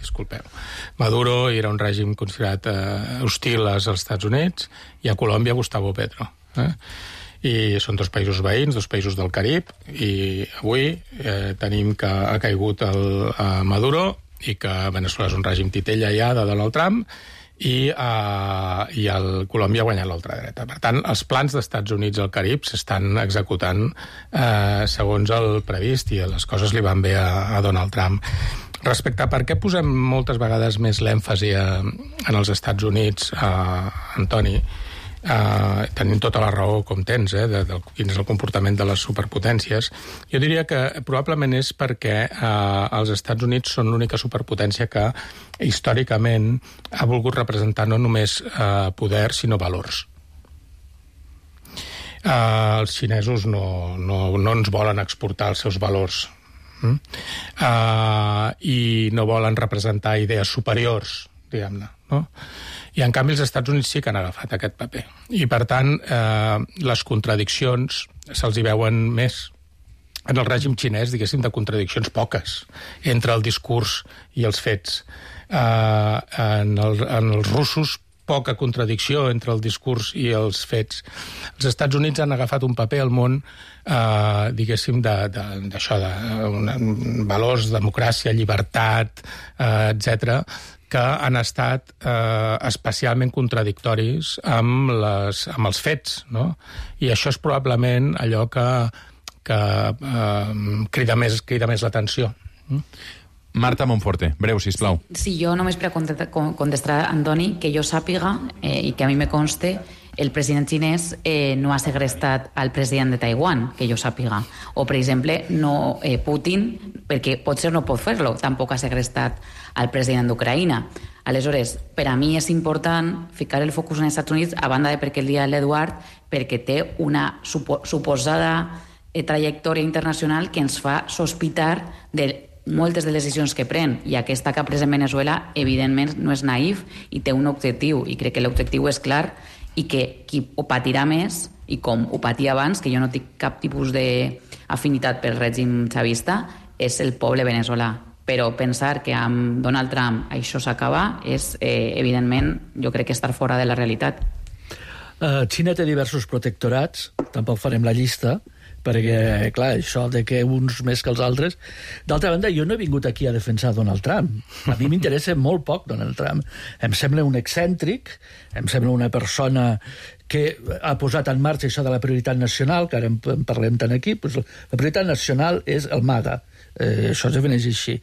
Disculpeu. Maduro era un règim considerat eh, hostil als Estats Units i a Colòmbia Gustavo Petro. Eh? I són dos països veïns, dos països del Carib, i avui eh, tenim que ha caigut el, a Maduro i que Venezuela és un règim titella ja de Donald Trump i, uh, i el Colòmbia ha guanyat l'ultradreta. Per tant, els plans d'Estats Units al Carib s'estan executant uh, segons el previst i les coses li van bé a, a Donald Trump. Respecte a per què posem moltes vegades més l'èmfasi a, en els Estats Units, uh, Antoni, Uh, tenint tota la raó com tens, eh, de, de quin és el comportament de les superpotències, jo diria que probablement és perquè uh, els Estats Units són l'única superpotència que històricament ha volgut representar no només uh, poder, sinó valors. Uh, els xinesos no, no, no ens volen exportar els seus valors. Mm? Uh, I no volen representar idees superiors, diguem-ne. no? I, en canvi, els Estats Units sí que han agafat aquest paper. I, per tant, eh, les contradiccions se'ls hi veuen més. En el règim xinès, diguéssim, de contradiccions poques entre el discurs i els fets. Eh, en, el, en els russos, poca contradicció entre el discurs i els fets. Els Estats Units han agafat un paper al món, eh, diguéssim, d'això, de, de, de valors, democràcia, llibertat, eh, etcètera, que han estat eh, especialment contradictoris amb, les, amb els fets, no? I això és probablement allò que, que eh, crida més, crida més l'atenció. Marta Monforte, breu, sisplau. Sí, jo només per contestar a Antoni, que jo sàpiga, eh, i que a mi me conste, el president xinès eh, no ha segrestat al president de Taiwan, que jo sàpiga. O, per exemple, no, eh, Putin, perquè potser no pot fer-lo, tampoc ha segrestat al president d'Ucraïna. Aleshores, per a mi és important ficar el focus en els Estats Units, a banda de perquè el dia de l'Eduard, perquè té una supo suposada eh, trajectòria internacional que ens fa sospitar de moltes de les decisions que pren, i aquesta que ha pres en Venezuela, evidentment, no és naïf i té un objectiu, i crec que l'objectiu és clar, i que qui ho patirà més, i com ho patia abans, que jo no tinc cap tipus d'afinitat pel règim xavista, és el poble veneçolà. Però pensar que amb Donald Trump això s'acaba és, eh, evidentment, jo crec que estar fora de la realitat. Uh, Xina té diversos protectorats, tampoc farem la llista, perquè, clar, això de que uns més que els altres... D'altra banda, jo no he vingut aquí a defensar Donald Trump. A mi m'interessa molt poc Donald Trump. Em sembla un excèntric, em sembla una persona que ha posat en marxa això de la prioritat nacional, que ara en parlem tant aquí, doncs la prioritat nacional és el MAGA. Eh, això es defineix així.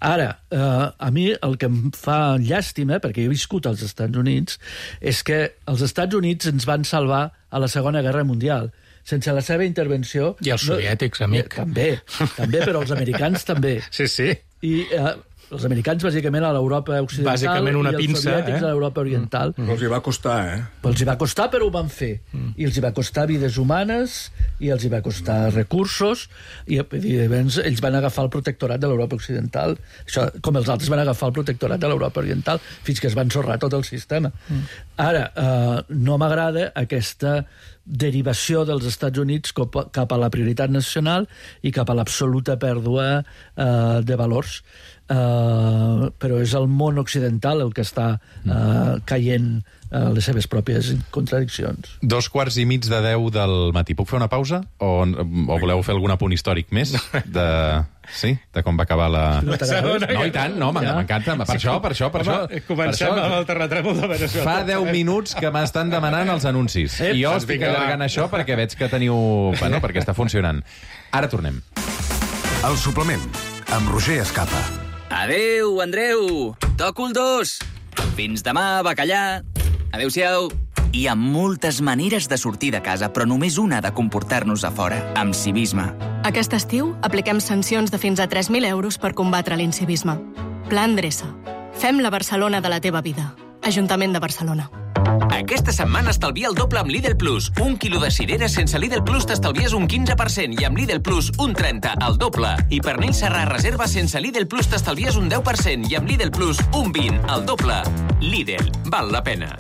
Ara, eh, a mi el que em fa llàstima, perquè he viscut als Estats Units, és que els Estats Units ens van salvar a la Segona Guerra Mundial. Sense la seva intervenció... I els soviètics, no, amic. També, també, però els americans també. Sí, sí. I eh, els americans, bàsicament, a l'Europa occidental, bàsicament una i els pinça, soviètics eh? a l'Europa oriental. Mm. Però els hi va costar, eh? Però els hi va costar, però ho van fer. Mm. I els hi va costar vides humanes, i els hi va costar recursos, i evidentment ells van agafar el protectorat de l'Europa occidental, això, com els altres van agafar el protectorat de l'Europa oriental, fins que es van sorrar tot el sistema. Mm. Ara, eh, no m'agrada aquesta derivació dels Estats Units cap a la prioritat nacional i cap a l'absoluta pèrdua eh, de valors. Uh, però és el món occidental el que està uh, caient uh, les seves pròpies contradiccions. Dos quarts i mig de deu del matí. Puc fer una pausa? O, o voleu fer algun apunt històric més? De... Sí? De com va acabar la... No, no i tant, no, m'encanta. Per això, per això, per això. Comencem amb el terratrèmol de Venezuela. Fa deu minuts que m'estan demanant els anuncis. I jo estic allargant això perquè veig que teniu... Bueno, perquè està funcionant. Ara tornem. El suplement, amb Roger Escapa. Adéu, Andreu! Toco el dos! Fins demà, bacallà! Adéu-siau! Hi ha moltes maneres de sortir de casa, però només una de comportar-nos a fora, amb civisme. Aquest estiu apliquem sancions de fins a tres mil euros per combatre l'incivisme. Pla Endreça. Fem la Barcelona de la teva vida. Ajuntament de Barcelona. Aquesta setmana estalvia el doble amb Lidl Plus. Un quilo de cireres sense Lidl Plus t'estalvies un quinze per cent i amb Lidl Plus un trenta, el doble. I pernil serrà reserva sense Lidl Plus t'estalvies un deu per cent i amb Lidl Plus un vint, el doble. Lidl, val la pena.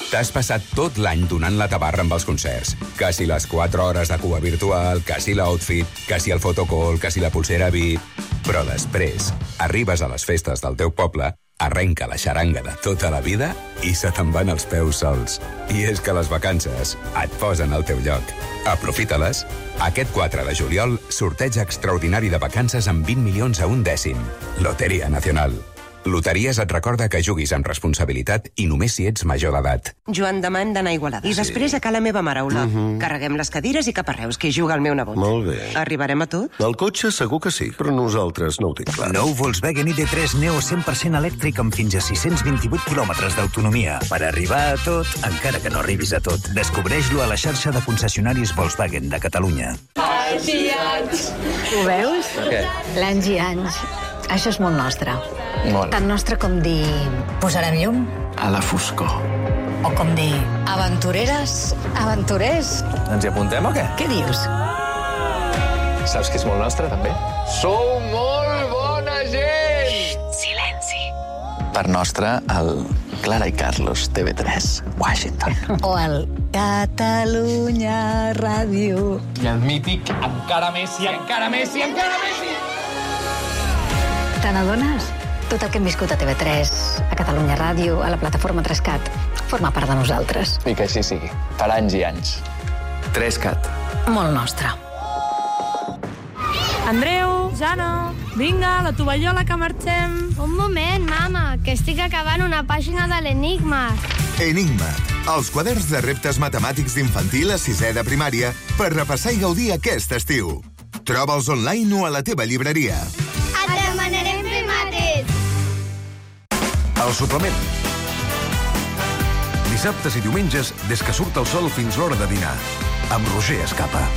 T'has passat tot l'any donant la tabarra amb els concerts. Que si les quatre hores de cua virtual, que si l'outfit, que si el fotocall, que si la pulsera V I P... Però després arribes a les festes del teu poble, arrenca la xaranga de tota la vida i se te'n van els peus sols. I és que les vacances et posen al teu lloc. Aprofita-les. Aquest quatre de juliol, sorteig extraordinari de vacances amb vint milions a un dècim. Loteria Nacional. Loteries et recorda que juguis amb responsabilitat i només si ets major d'edat. Joan Damant d'anar a Igualada. I després a Cala Meva Mare, Olot. Uh -huh. Carreguem les cadires i cap a Reus, que hi juga el meu nebot. Molt bé. Arribarem a tot? El cotxe segur que sí, però nosaltres no ho tinc clar. Nou Volkswagen I D tres Neo cent per cent elèctric amb fins a sis-cents vint-i-vuit quilòmetres d'autonomia. Per arribar a tot, encara que no arribis a tot, descobreix-lo a la xarxa de concessionaris Volkswagen de Catalunya. Anys i anys. Ho veus? Què? L'anys i anys. Això és molt nostre. Molt. Tan nostre com dir... Posarem llum? A la foscor. O com dir... Aventureres? Aventurers? Ens hi apuntem o què? Què dius? Saps que és molt nostre, també? Sou molt bona gent! Xxt, silenci. part nostra, el Clara i Carlos, T V tres, Washington. O el Catalunya Ràdio. I el mític Encara Messi, encara Messi, encara Messi! Te n'adones? Tot el que hem viscut a T V tres, a Catalunya Ràdio, a la plataforma tres cat, forma part de nosaltres. I que així sigui, per anys i anys. tres cat. Molt nostre. Andreu, Jana, vinga, la tovallola que marxem. Un moment, mama, que estic acabant una pàgina de l'Enigma. Enigma, els quaderns de reptes matemàtics d'infantil a sisè de primària per repassar i gaudir aquest estiu. Troba'ls online o a la teva llibreria. Et demanarem fer mates. El suplement. Dissabtes i diumenges, des que surt el sol fins l'hora de dinar. Amb Roger Escapa.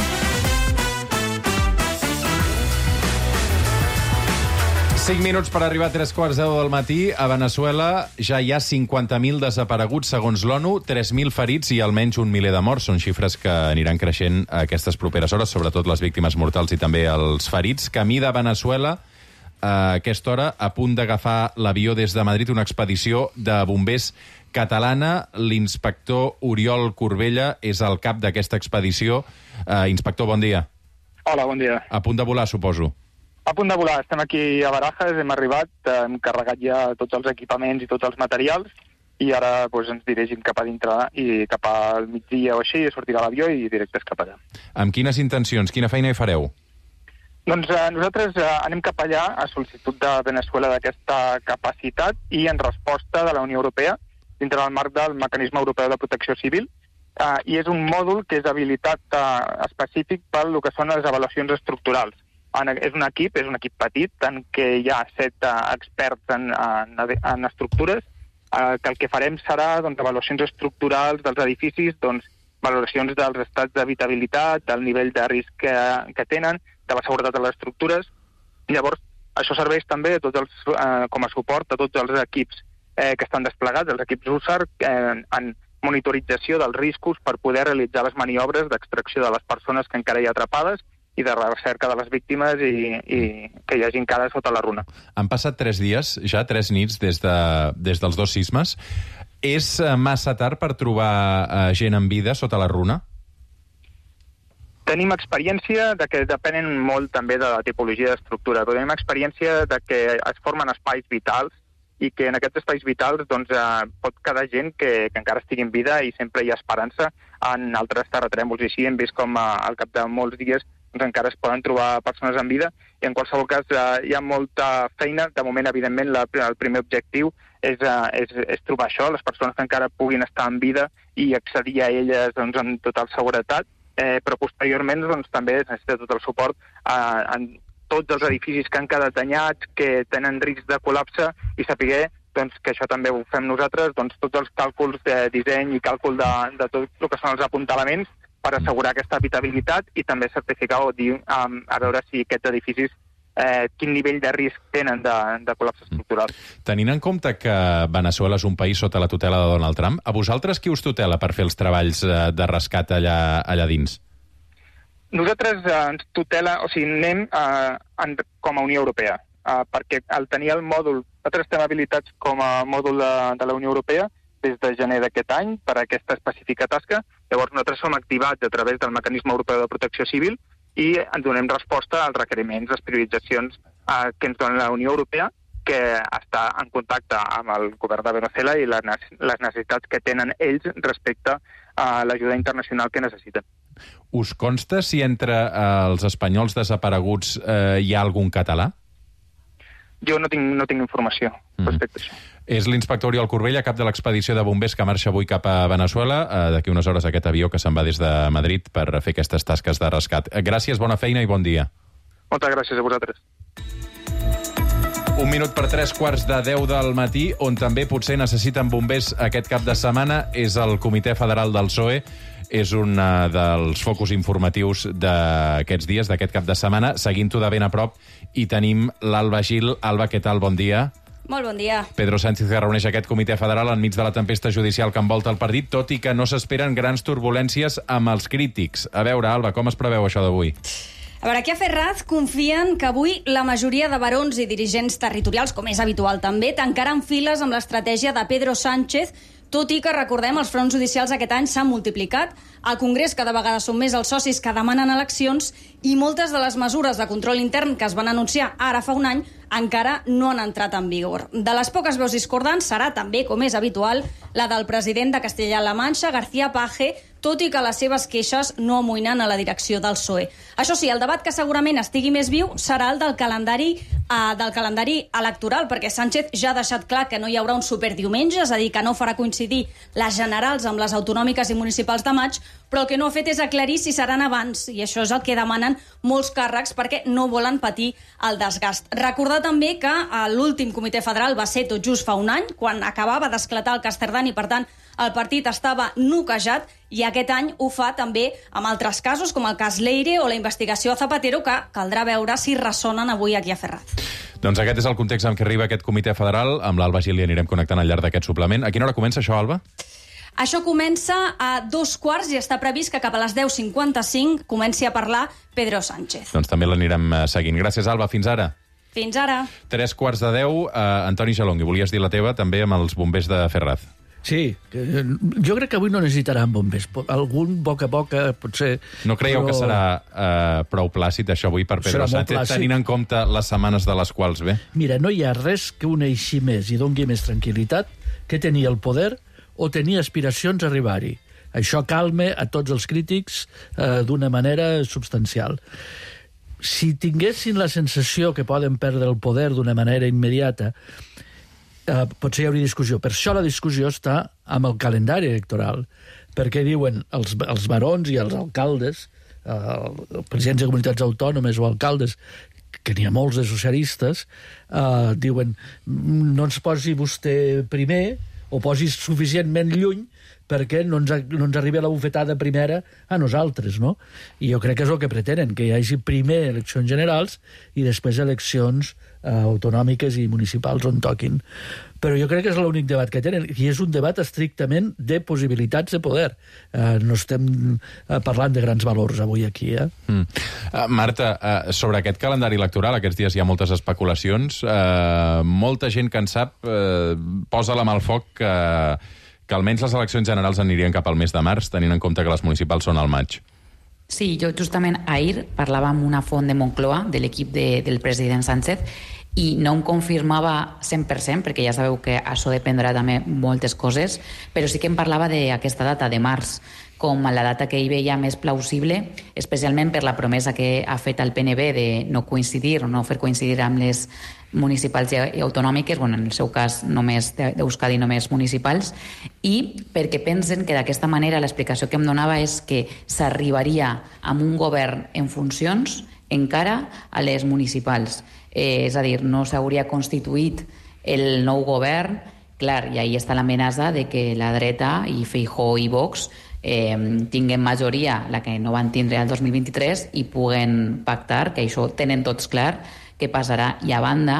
cinc minuts per arribar a tres quarts deu del matí. A Veneçuela ja hi ha cinquanta mil desapareguts, segons l'ONU, tres mil ferits i almenys un miler de morts. Són xifres que aniran creixent a aquestes properes hores, sobretot les víctimes mortals i també els ferits. Camí de Veneçuela, a aquesta hora, a punt d'agafar l'avió des de Madrid, una expedició de bombers catalana. L'inspector Oriol Corbella és el cap d'aquesta expedició. Uh, inspector, bon dia. Hola, bon dia. A punt de volar, suposo. A punt de volar. Estem aquí a Barajas, hem arribat, hem carregat ja tots els equipaments i tots els materials i ara doncs, ens dirigim cap a dintre i cap al migdia o així sortirà l'avió i directes cap allà. Amb quines intencions? Quina feina hi fareu? Doncs eh, nosaltres eh, anem cap allà a sol·licitud de Veneçuela d'aquesta capacitat i en resposta de la Unió Europea dintre del marc del Mecanisme Europeu de Protecció Civil eh, i és un mòdul que és habilitat eh, específic per el que són les avaluacions estructurals. En, és un equip, és un equip petit, en què hi ha set uh, experts en, en, en estructures, uh, que el que farem serà doncs, avaluacions estructurals dels edificis, doncs, valoracions dels estats d'habitabilitat, del nivell de risc que, que tenen, de la seguretat de les estructures. I llavors, això serveix també tots els, uh, com a suport a tots els equips eh, que estan desplegats, els equips U S A R, eh, en monitorització dels riscos per poder realitzar les maniobres d'extracció de les persones que encara hi ha atrapades i de recerca de les víctimes i, i que hi hagi encara sota la runa. Han passat tres dies, ja tres nits, des, de, des dels dos sismes. És massa tard per trobar uh, gent en vida sota la runa? Tenim experiència de que depenen molt també de la tipologia d'estructura, però tenim experiència de que es formen espais vitals i que en aquests espais vitals doncs, eh, pot quedar gent que, que encara estigui en vida i sempre hi ha esperança en altres terratrèmols. I així hem vist com eh, al cap de molts dies doncs encara es poden trobar persones en vida i en qualsevol cas eh, hi ha molta feina. De moment, evidentment, la, el primer objectiu és, eh, és, és trobar això, les persones que encara puguin estar en vida i accedir a elles doncs, amb total seguretat, eh, però posteriorment doncs, també es necessita tot el suport eh, en tots els edificis que han quedat danyats, que tenen risc de col·lapse i saber doncs, que això també ho fem nosaltres, doncs, tots els càlculs de disseny i càlcul de, de tot el que són els apuntalaments per assegurar aquesta habitabilitat i també certificar o dir um, a veure si aquests edificis eh, quin nivell de risc tenen de, de col·lapse estructural. Tenint en compte que Veneçuela és un país sota la tutela de Donald Trump, a vosaltres qui us tutela per fer els treballs eh, de rescat allà, allà dins? Nosaltres eh, ens tutela, o sigui, anem eh, en, com a Unió Europea, eh, perquè al tenir el mòdul, nosaltres estem habilitats com a mòdul de, de la Unió Europea des de gener d'aquest any per a aquesta específica tasca. Llavors nosaltres som activats a través del Mecanisme Europeu de Protecció Civil i ens donem resposta als requeriments, les prioritzacions eh, que ens dona la Unió Europea, que està en contacte amb el govern de Veneçuela i les necessitats que tenen ells respecte a l'ajuda internacional que necessiten. Us consta si entre eh, els espanyols desapareguts eh, hi ha algun català? Jo no tinc, no tinc informació respecte a això. És l'inspector Oriol Corbella, cap de l'expedició de bombers que marxa avui cap a Veneçuela. Eh, D'aquí unes hores aquest avió que se'n va des de Madrid per fer aquestes tasques de rescat. Gràcies, bona feina i bon dia. Moltes gràcies a vosaltres. Un minut per tres quarts de deu del matí, on també potser necessiten bombers aquest cap de setmana, és el Comitè Federal del P S O E. És un dels focus informatius d'aquests dies, d'aquest cap de setmana. Seguint-ho de ben a prop, i tenim l'Alba Gil. Alba, què tal? Bon dia. Molt bon dia. Pedro Sánchez que reuneix aquest comitè federal enmig de la tempesta judicial que envolta el partit, tot i que no s'esperen grans turbulències amb els crítics. A veure, Alba, com es preveu això d'avui? A veure, aquí a Ferraz confien que avui la majoria de barons i dirigents territorials, com és habitual també, tancaran files amb l'estratègia de Pedro Sánchez, tot i que, recordem, els fronts judicials aquest any s'han multiplicat, al Congrés cada vegada són més els socis que demanen eleccions i moltes de les mesures de control intern que es van anunciar ara fa un any encara no han entrat en vigor. De les poques veus discordants serà també, com és habitual, la del president de Castella-La Manxa, García Page, tot i que les seves queixes no amoïnen a la direcció del P S O E. Això sí, el debat que segurament estigui més viu serà el del calendari, eh, del calendari electoral, perquè Sánchez ja ha deixat clar que no hi haurà un superdiumenge, és a dir, que no farà coincidir les generals amb les autonòmiques i municipals de maig, però el que no ha fet és aclarir si seran abans, i això és el que demanen molts càrrecs perquè no volen patir el desgast. Recordar també que l'últim comitè federal va ser tot just fa un any, quan acabava d'esclatar el Casterdán i, per tant, el partit estava noquejat, i aquest any ho fa també amb altres casos, com el cas Leire o la investigació a Zapatero, que caldrà veure si ressonen avui aquí a Ferraz. Doncs aquest és el context en què arriba aquest comitè federal. Amb l'Alba Gili anirem connectant al llarg d'aquest suplement. A quina hora comença això, Alba? Això comença a dos quarts i està previst que cap a les deu cinquanta-cinc comenci a parlar Pedro Sánchez. Doncs també l'anirem seguint. Gràcies, Alba. Fins ara. Fins ara. Tres quarts de deu. Uh, Antoni Jalongui, volies dir la teva també amb els bombers de Ferraz. Sí, jo crec que avui no necessitaran bombers. Algun boca a boca, potser... No creieu però... que serà uh, prou plàcid això avui per Pedro Sánchez, tenint en compte les setmanes de les quals ve? Mira, no hi ha res que uneixi més i doni més tranquil·litat que tenir el poder o tenir aspiracions a arribar-hi. Això calma a tots els crítics eh, d'una manera substancial. Si tinguessin la sensació que poden perdre el poder d'una manera immediata, eh, potser hi hauria discussió. Per això la discussió està amb el calendari electoral, perquè diuen els, els barons i els alcaldes, eh, els presidents de comunitats autònomes o alcaldes, que n'hi ha molts de socialistes, eh, diuen no ens posi vostè primer o posis suficientment lluny perquè no ens, no ens arribi la bufetada primera a nosaltres, no? I jo crec que és el que pretenen, que hi hagi primer eleccions generals i després eleccions eh, autonòmiques i municipals on toquin. Però jo crec que és l'únic debat que tenen, i és un debat estrictament de possibilitats de poder. Eh, no estem eh, parlant de grans valors avui aquí, eh? Mm. Uh, Marta, uh, sobre aquest calendari electoral, aquests dies hi ha moltes especulacions. Uh, molta gent que en sap uh, posa la mà al foc que... Uh, que almenys les eleccions generals anirien cap al mes de març, tenint en compte que les municipals són al maig. Sí, jo justament ahir parlava amb una font de Moncloa, de l'equip de, del president Sánchez, i no em confirmava cent per cent, perquè ja sabeu que això dependrà també moltes coses, però sí que em parlava d'aquesta data, de març, com la data que ell veia més plausible, especialment per la promesa que ha fet el P N B de no coincidir o no fer coincidir amb les municipals i autonòmiques, bueno, en el seu cas només d'Euskadi, només municipals, i perquè pensen que d'aquesta manera l'explicació que em donava és que s'arribaria amb un govern en funcions encara a les municipals. Eh, és a dir, no s'hauria constituït el nou govern, clar, i ahí està l'amenaça de que la dreta i Feijóo i Vox eh, tinguen majoria, la que no van tindre el dos mil vint-i-tres, i puguen pactar, que això tenen tots clar, què passarà. I a banda,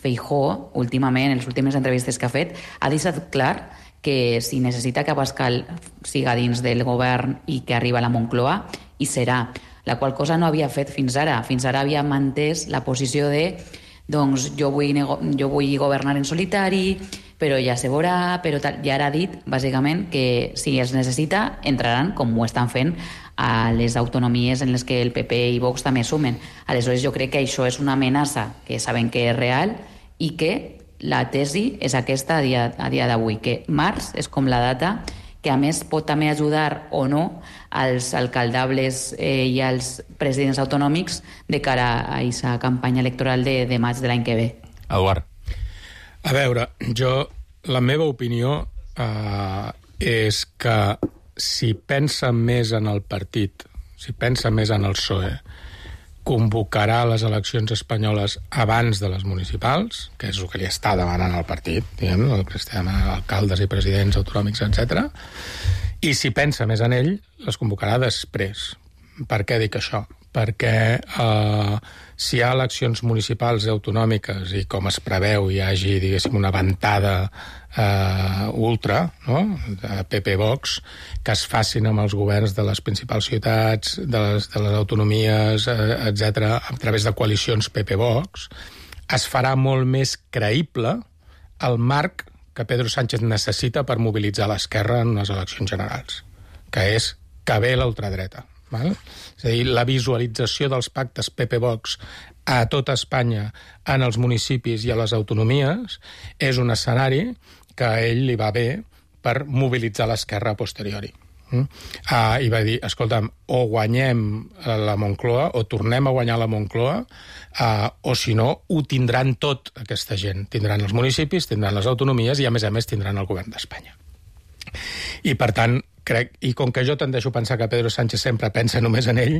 Feijóo, últimament, en les últimes entrevistes que ha fet, ha deixat clar que si necessita que Abascal siga dins del govern i que arriba a la Moncloa, hi serà. La qual cosa no havia fet fins ara. Fins ara havia mantès la posició de doncs jo vull, jo vull governar en solitari, però ja se veurà, però tal. I ara ha dit, bàsicament, que si es necessita, entraran, com ho estan fent, a les autonomies en les que el P P i Vox també sumen. Aleshores, jo crec que això és una amenaça que saben que és real i que la tesi és aquesta a dia, a dia d'avui, que març és com la data que a més pot també ajudar o no als alcaldables eh, i als presidents autonòmics de cara a aquesta campanya electoral de, de maig de l'any que ve. Eduard. A veure, jo, la meva opinió eh, és que si pensa més en el partit, si pensa més en el P S O E, convocarà les eleccions espanyoles abans de les municipals, que és el que li està demanant el partit, diguem, el que està demanant alcaldes i presidents autonòmics, etcètera. I si pensa més en ell, les convocarà després. Per què dic això? perquè eh, si hi ha eleccions municipals i autonòmiques i com es preveu hi hagi, diguéssim, una ventada eh, ultra, no?, de P P Vox, que es facin amb els governs de les principals ciutats, de les, de les autonomies, eh, etcètera, a través de coalicions P P Vox, es farà molt més creïble el marc que Pedro Sánchez necessita per mobilitzar l'esquerra en unes eleccions generals, que és que ve l'ultradreta. Val? És a dir, la visualització dels pactes P P Vox a tota Espanya, en els municipis i a les autonomies, és un escenari que a ell li va bé per mobilitzar l'esquerra a posteriori. Mm? Uh, I va dir, escolta'm, o guanyem la Moncloa, o tornem a guanyar la Moncloa, uh, o si no, ho tindran tot aquesta gent. Tindran els municipis, tindran les autonomies i, a més a més, tindran el govern d'Espanya. I, per tant, crec, i com que jo tendeixo a pensar que Pedro Sánchez sempre pensa només en ell,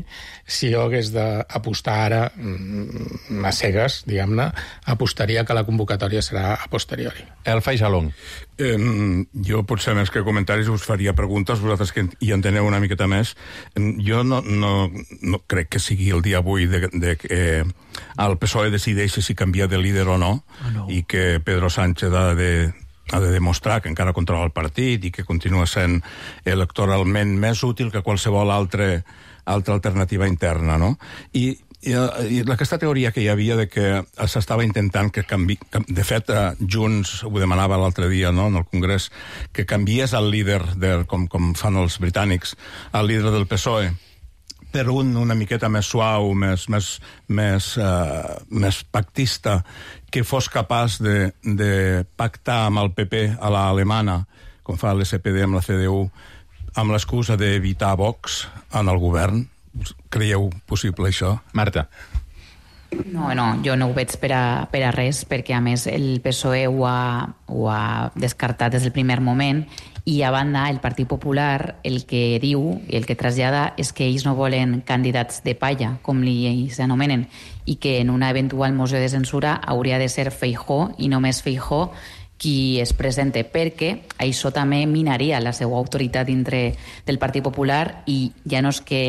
si jo hagués d'apostar ara a cegues, diguem-ne, apostaria que la convocatòria serà a posteriori. El Faisalong. Eh, jo, potser més que comentaris, us faria preguntes, vosaltres que hi enteneu una miqueta més. Jo no, no, no crec que sigui el dia avui de, de que eh, el P S O E decideixi si canvia de líder o no, oh, no. i que Pedro Sánchez ha de ha de demostrar que encara controla el partit i que continua sent electoralment més útil que qualsevol altre, altra alternativa interna, no? I, i, i aquesta teoria que hi havia de que s'estava intentant que canvi... De fet, Junts ho demanava l'altre dia, no?, en el Congrés, que canviés el líder, de, com, com fan els britànics, el líder del P S O E, per un una miqueta més suau, més, més, més, uh, més pactista, que fos capaç de, de pactar amb el P P a l'alemana, com fa l'S P D amb la C D U, amb l'excusa d'evitar Vox en el govern. Creieu possible això? Marta. No, no, jo no ho veig per a, per a res, perquè a més el P S O E ho ha, ho ha descartat des del primer moment, i a banda el Partit Popular el que diu i el que trasllada és que ells no volen candidats de palla, com li s'anomenen, i que en una eventual moció de censura hauria de ser Feijóo i només Feijóo qui es presente, perquè això també minaria la seva autoritat dintre del Partit Popular i ja no és que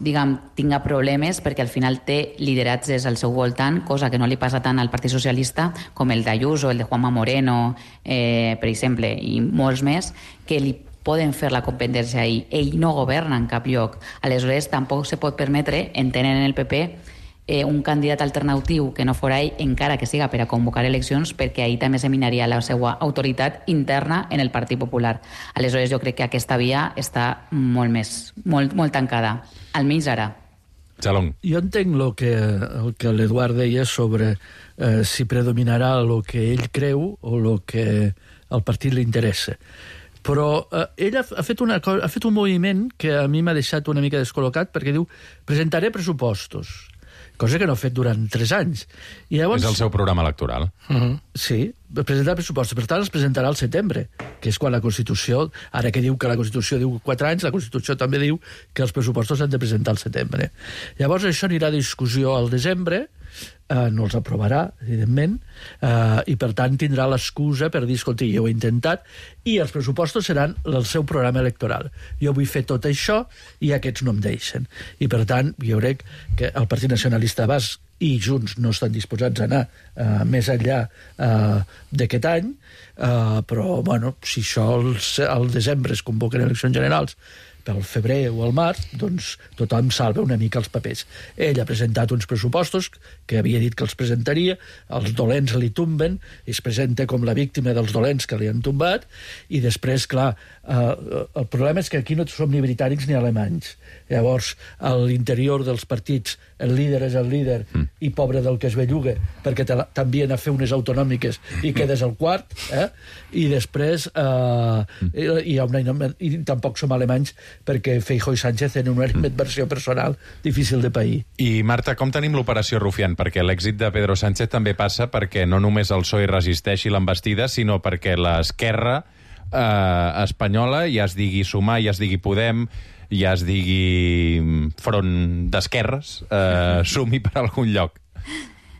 diguem, tinga problemes perquè al final té lideratges al seu voltant, cosa que no li passa tant al Partit Socialista com el d'Ayuso, el de Juanma Moreno, eh, per exemple, i molts més, que li poden fer la competència ahir. Ell no governa en cap lloc. Aleshores, tampoc se pot permetre, entenen en el P P, eh, un candidat alternatiu que no fora ell, encara que siga per a convocar eleccions, perquè ahir també se minaria la seva autoritat interna en el Partit Popular. Aleshores, jo crec que aquesta via està molt més, molt, molt tancada. Almenys ara. Jalong. Jo entenc lo que, el que l'Eduard deia sobre eh, si predominarà el que ell creu o el que al partit li interessa. Però eh, ell ha, ha, fet una cosa, ha fet un moviment que a mi m'ha deixat una mica descol·locat, perquè diu, presentaré pressupostos, cosa que no ha fet durant tres anys. I llavors, és el seu programa electoral. Uh-huh. Sí, presentar pressupostos. Per tant, els presentarà al setembre, que és quan la Constitució, ara que diu que la Constitució diu quatre anys, la Constitució també diu que els pressupostos s'han de presentar al setembre. Llavors, això anirà a discussió al desembre, eh, no els aprovarà, evidentment, eh, i per tant tindrà l'excusa per dir, escolta, jo ho he intentat, i els pressupostos seran el seu programa electoral. Jo vull fer tot això i aquests no em deixen. I per tant, jo crec que el Partit Nacionalista Basc i Junts no estan disposats a anar uh, més enllà uh, d'aquest any, uh, però, bueno, si això al, al desembre es convoquen eleccions generals pel febrer o al març, doncs tothom salva una mica els papers. Ell ha presentat uns pressupostos que havia dit que els presentaria, els dolents li tomben, i es presenta com la víctima dels dolents que li han tombat, i després, clar, eh, el problema és que aquí no som ni britànics ni alemanys. Llavors, a l'interior dels partits, el líder és el líder mm. i pobre del que es belluga, perquè t'envien a fer unes autonòmiques i quedes al quart, eh? I després eh, mm. hi ha una, i tampoc som alemanys perquè Feijóo i Sánchez tenen una animadversió personal difícil de pair. I, Marta, com tenim l'operació Rufián? Perquè l'èxit de Pedro Sánchez també passa perquè no només el P S O E resisteixi l'embestida, sinó perquè l'esquerra eh, espanyola, ja es digui Sumar, ja es digui Podem, ja es digui Front d'Esquerres, eh, sumi per algun lloc.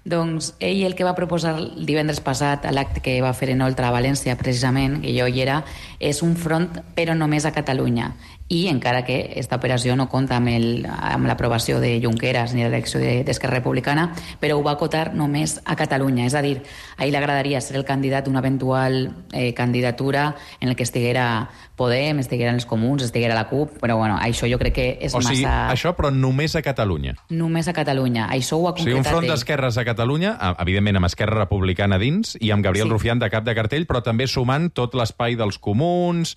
Doncs ell el que va proposar el divendres passat a l'acte que va fer en Oltra a València, precisament, que jo hi era, és un front però només a Catalunya. I encara que aquesta operació no compta amb, el, amb l'aprovació de Junqueras ni l'elecció d'Esquerra Republicana, però ho va acotar només a Catalunya. És a dir, a ell agradaria ser el candidat d'una eventual eh, candidatura en el que estiguera Podem, estigueren els Comuns, estiguera la CUP, però bueno, això jo crec que és o sigui, massa... això, però només a Catalunya. Només a Catalunya. Això ho ha concretat... O sigui, un front d'esquerres a Catalunya, evidentment amb Esquerra Republicana dins, i amb Gabriel sí. Rufián de cap de cartell, però també sumant tot l'espai dels Comuns...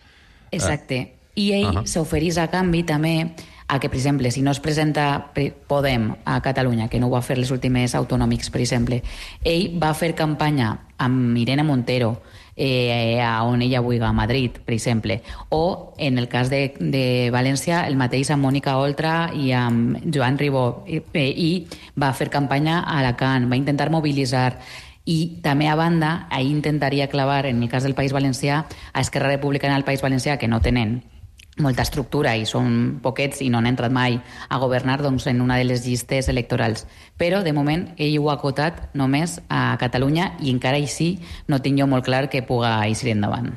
Exacte. I ell uh -huh. s'oferís a canvi també a que, per exemple, si no es presenta Podem a Catalunya, que no ho va fer les últimes autonòmics, per exemple, ell va fer campanya amb Irene Montero, eh, a on ella vulgui, a Madrid, per exemple, o, en el cas de, de València, el mateix amb Mònica Oltra i amb Joan Ribó, i, i va fer campanya a Alacant, va intentar mobilitzar. I també, a banda, ahir intentaria clavar, en el cas del País Valencià, a Esquerra Republicana del País Valencià, que no tenen molta estructura i són poquets i no han entrat mai a governar, doncs, en una de les llistes electorals. Però, de moment, ell ho ha acotat només a Catalunya i encara així no tinc jo molt clar que puga eixir endavant.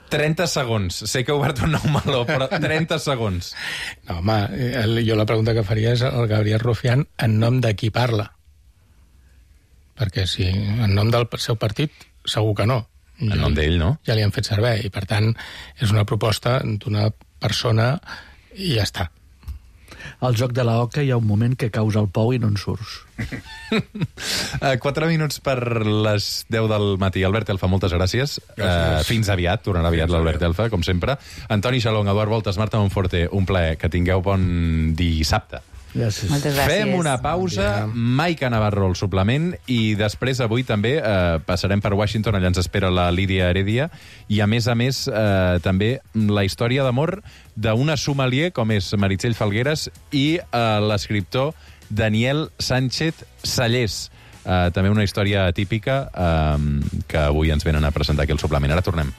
trenta segons. Sé que he obert un nou meló, però trenta segons. No, home, el, jo la pregunta que faria és al Gabriel Rufián en nom de qui parla. Perquè si en nom del seu partit, segur que no. En nom d'ell, no? Ja li han fet servei, i per tant és una proposta d'una persona i ja està. Al joc de la oca hi ha un moment que caus al pou i no en surts. uh, Quatre minuts per les deu del matí. Albert Elfa, moltes gràcies. gràcies. Uh, fins aviat, tornarà aviat l'Albert Elfa, com sempre. Antoni Xalong, Eduard Voltes, Marta Monforte, un plaer. Que tingueu bon dissabte. Gràcies. Moltes gràcies. Fem una pausa, Maica Navarro al suplement, i després avui també eh, passarem per Washington, allà ens espera la Lídia Heredia, i a més a més eh, també la història d'amor d'una sommelier com és Meritxell Falgueres i eh, l'escriptor Daniel Sánchez Sallés. Eh, també una història típica eh, que avui ens venen a presentar aquí al suplement. Ara tornem.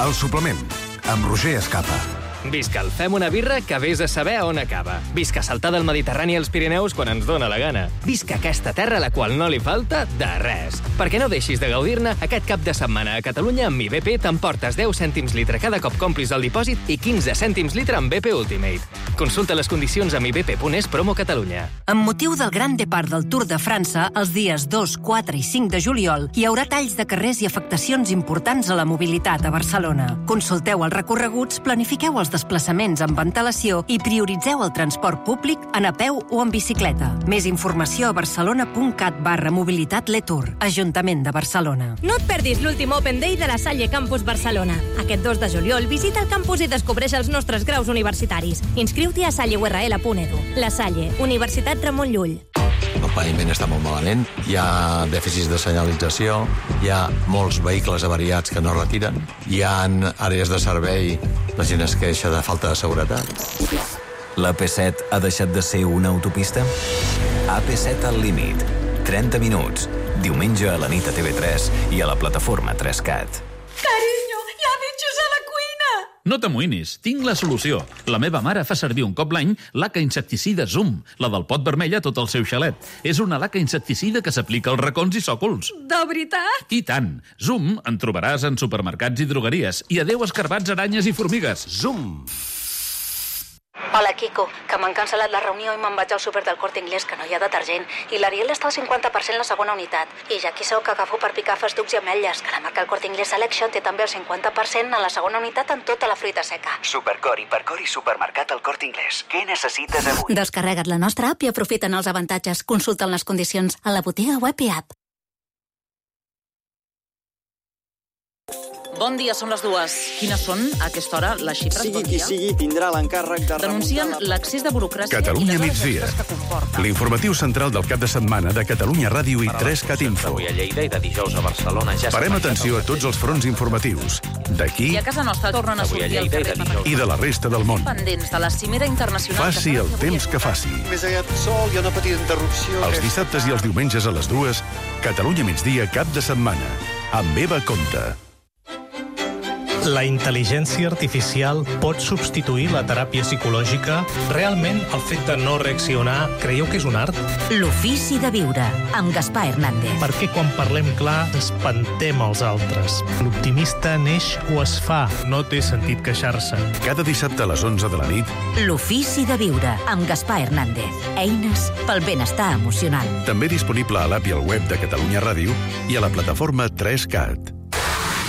El suplement, amb Roger Escapa. Visca el Fem una birra que vés a saber on acaba. Visca saltar del Mediterrani als Pirineus quan ens dóna la gana. Visca aquesta terra a la qual no li falta de res. Perquè no deixis de gaudir-ne, aquest cap de setmana a Catalunya amb Mi B P t'emportes deu cèntims litre cada cop complis el dipòsit i quinze cèntims litre amb B P Ultimate. Consulta les condicions a mi b p punt es promo Catalunya. Amb motiu del Gran Depart del Tour de França, els dies dos, quatre i cinc de juliol, hi haurà talls de carrers i afectacions importants a la mobilitat a Barcelona. Consulteu els recorreguts, planifiqueu els desplaçaments amb antelació i prioritzeu el transport públic en a peu o en bicicleta. Més informació a barcelona punt cat barra mobilitat Letour, Ajuntament de Barcelona. No et perdis l'últim Open Day de la Salle Campus Barcelona. Aquest dos de juliol visita el campus i descobreix els nostres graus universitaris. Inscriu-t'hi a salle u erra ele punt edu. La Salle, Universitat Ramon Llull. El paviment està molt malament, hi ha dèficits de senyalització, hi ha molts vehicles avariats que no retiren, hi ha àrees de servei, la gent es queixa de falta de seguretat. La P set ha deixat de ser una autopista? A P set al límit. trenta minuts. Diumenge a la nit a T V tres i a la plataforma tres cat. Carinyo, hi ha bitxos a la cuina! No t'amoïnis, tinc la solució. La meva mare fa servir un cop l'any laca insecticida Zoom, la del pot vermell a tot el seu xalet. És una laca insecticida que s'aplica als racons i sòcols. De veritat? I tant. Zoom en trobaràs en supermercats i drogueries. I adeu escarbats, aranyes i formigues. Zoom! Hola, Quico, que m'han cancel·lat la reunió i me'n vaig al súper del Corte Inglés, que no hi ha detergent, i l'Ariel està al cinquanta per cent la segona unitat. I ja aquí sou que agafo per picar festucs i ametlles, que la marca el Corte Inglés Selection té també el cinquanta per cent en la segona unitat en tota la fruita seca. Supercor, Hipercor i Supermercat al Corte Inglés. Què necessites avui? Descarrega't la nostra app i aprofita'n els avantatges. Consulta'n les condicions a la botiga web i app. Bon dia, són les dues. Quines són, a aquesta hora, les xifres? Sigui bon qui dia? sigui, tindrà l'encàrrec de Denuncien remuntar... l'accés de burocràcia Catalunya i les migdia. hores extres que comporta. L'informatiu central del cap de setmana de Catalunya Ràdio i tres cat Info. Avui a Lleida i de dijous a Barcelona ja Parem atenció a tots els fronts informatius, d'aquí I a casa nostra tornen a sortir al carrer per i de la resta del món. pendents de la cimera internacional. Faci el temps que faci. Més aviat sol, hi ha una petita interrupció... Els dissabtes i els diumenges a les dues, Catalunya migdia cap de setmana, amb Eva Comte. La intel·ligència artificial pot substituir la teràpia psicològica? Realment, el fet de no reaccionar, creieu que és un art? L'ofici de viure, amb Gaspar Hernández. Perquè quan parlem clar, espantem els altres. L'optimista neix o es fa, no té sentit queixar-se. Cada dissabte a les onze de la nit, L'ofici de viure, amb Gaspar Hernández. Eines pel benestar emocional. també disponible a l'app i al web de Catalunya Ràdio i a la plataforma tres cat.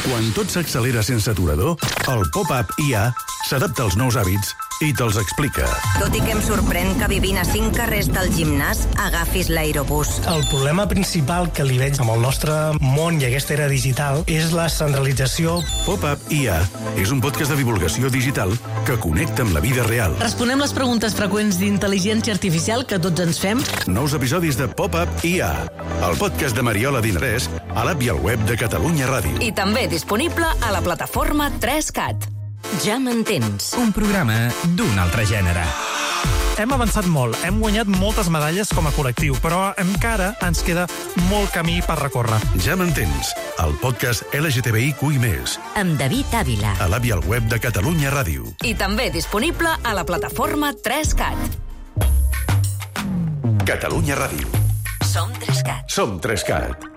Quan tot s'accelera sense aturador, el pop-up I A s'adapta als nous hàbits i te'ls explica. Tot i que em sorprèn que vivint a cinc carrers del gimnàs agafis l'aerobús. El problema principal que li veig amb el nostre món i aquesta era digital és la centralització. Pop-up I A és un podcast de divulgació digital que connecta amb la vida real. Responem les preguntes freqüents d'intel·ligència artificial que tots ens fem. Nous episodis de Pop-up I A, el podcast de Mariola Dinarès, a l'app i al web de Catalunya Ràdio. I també disponible a la plataforma tres cat. Ja m'entens. Un programa d'un altre gènere. Hem avançat molt, hem guanyat moltes medalles com a col·lectiu, però encara ens queda molt camí per recórrer. Ja m'entens, el podcast L G T B I Q I més, Amb David Ávila. a l'app i al web de Catalunya Ràdio. I també disponible a la plataforma tres cat. Catalunya Ràdio. Som tres cat. Som tres cat.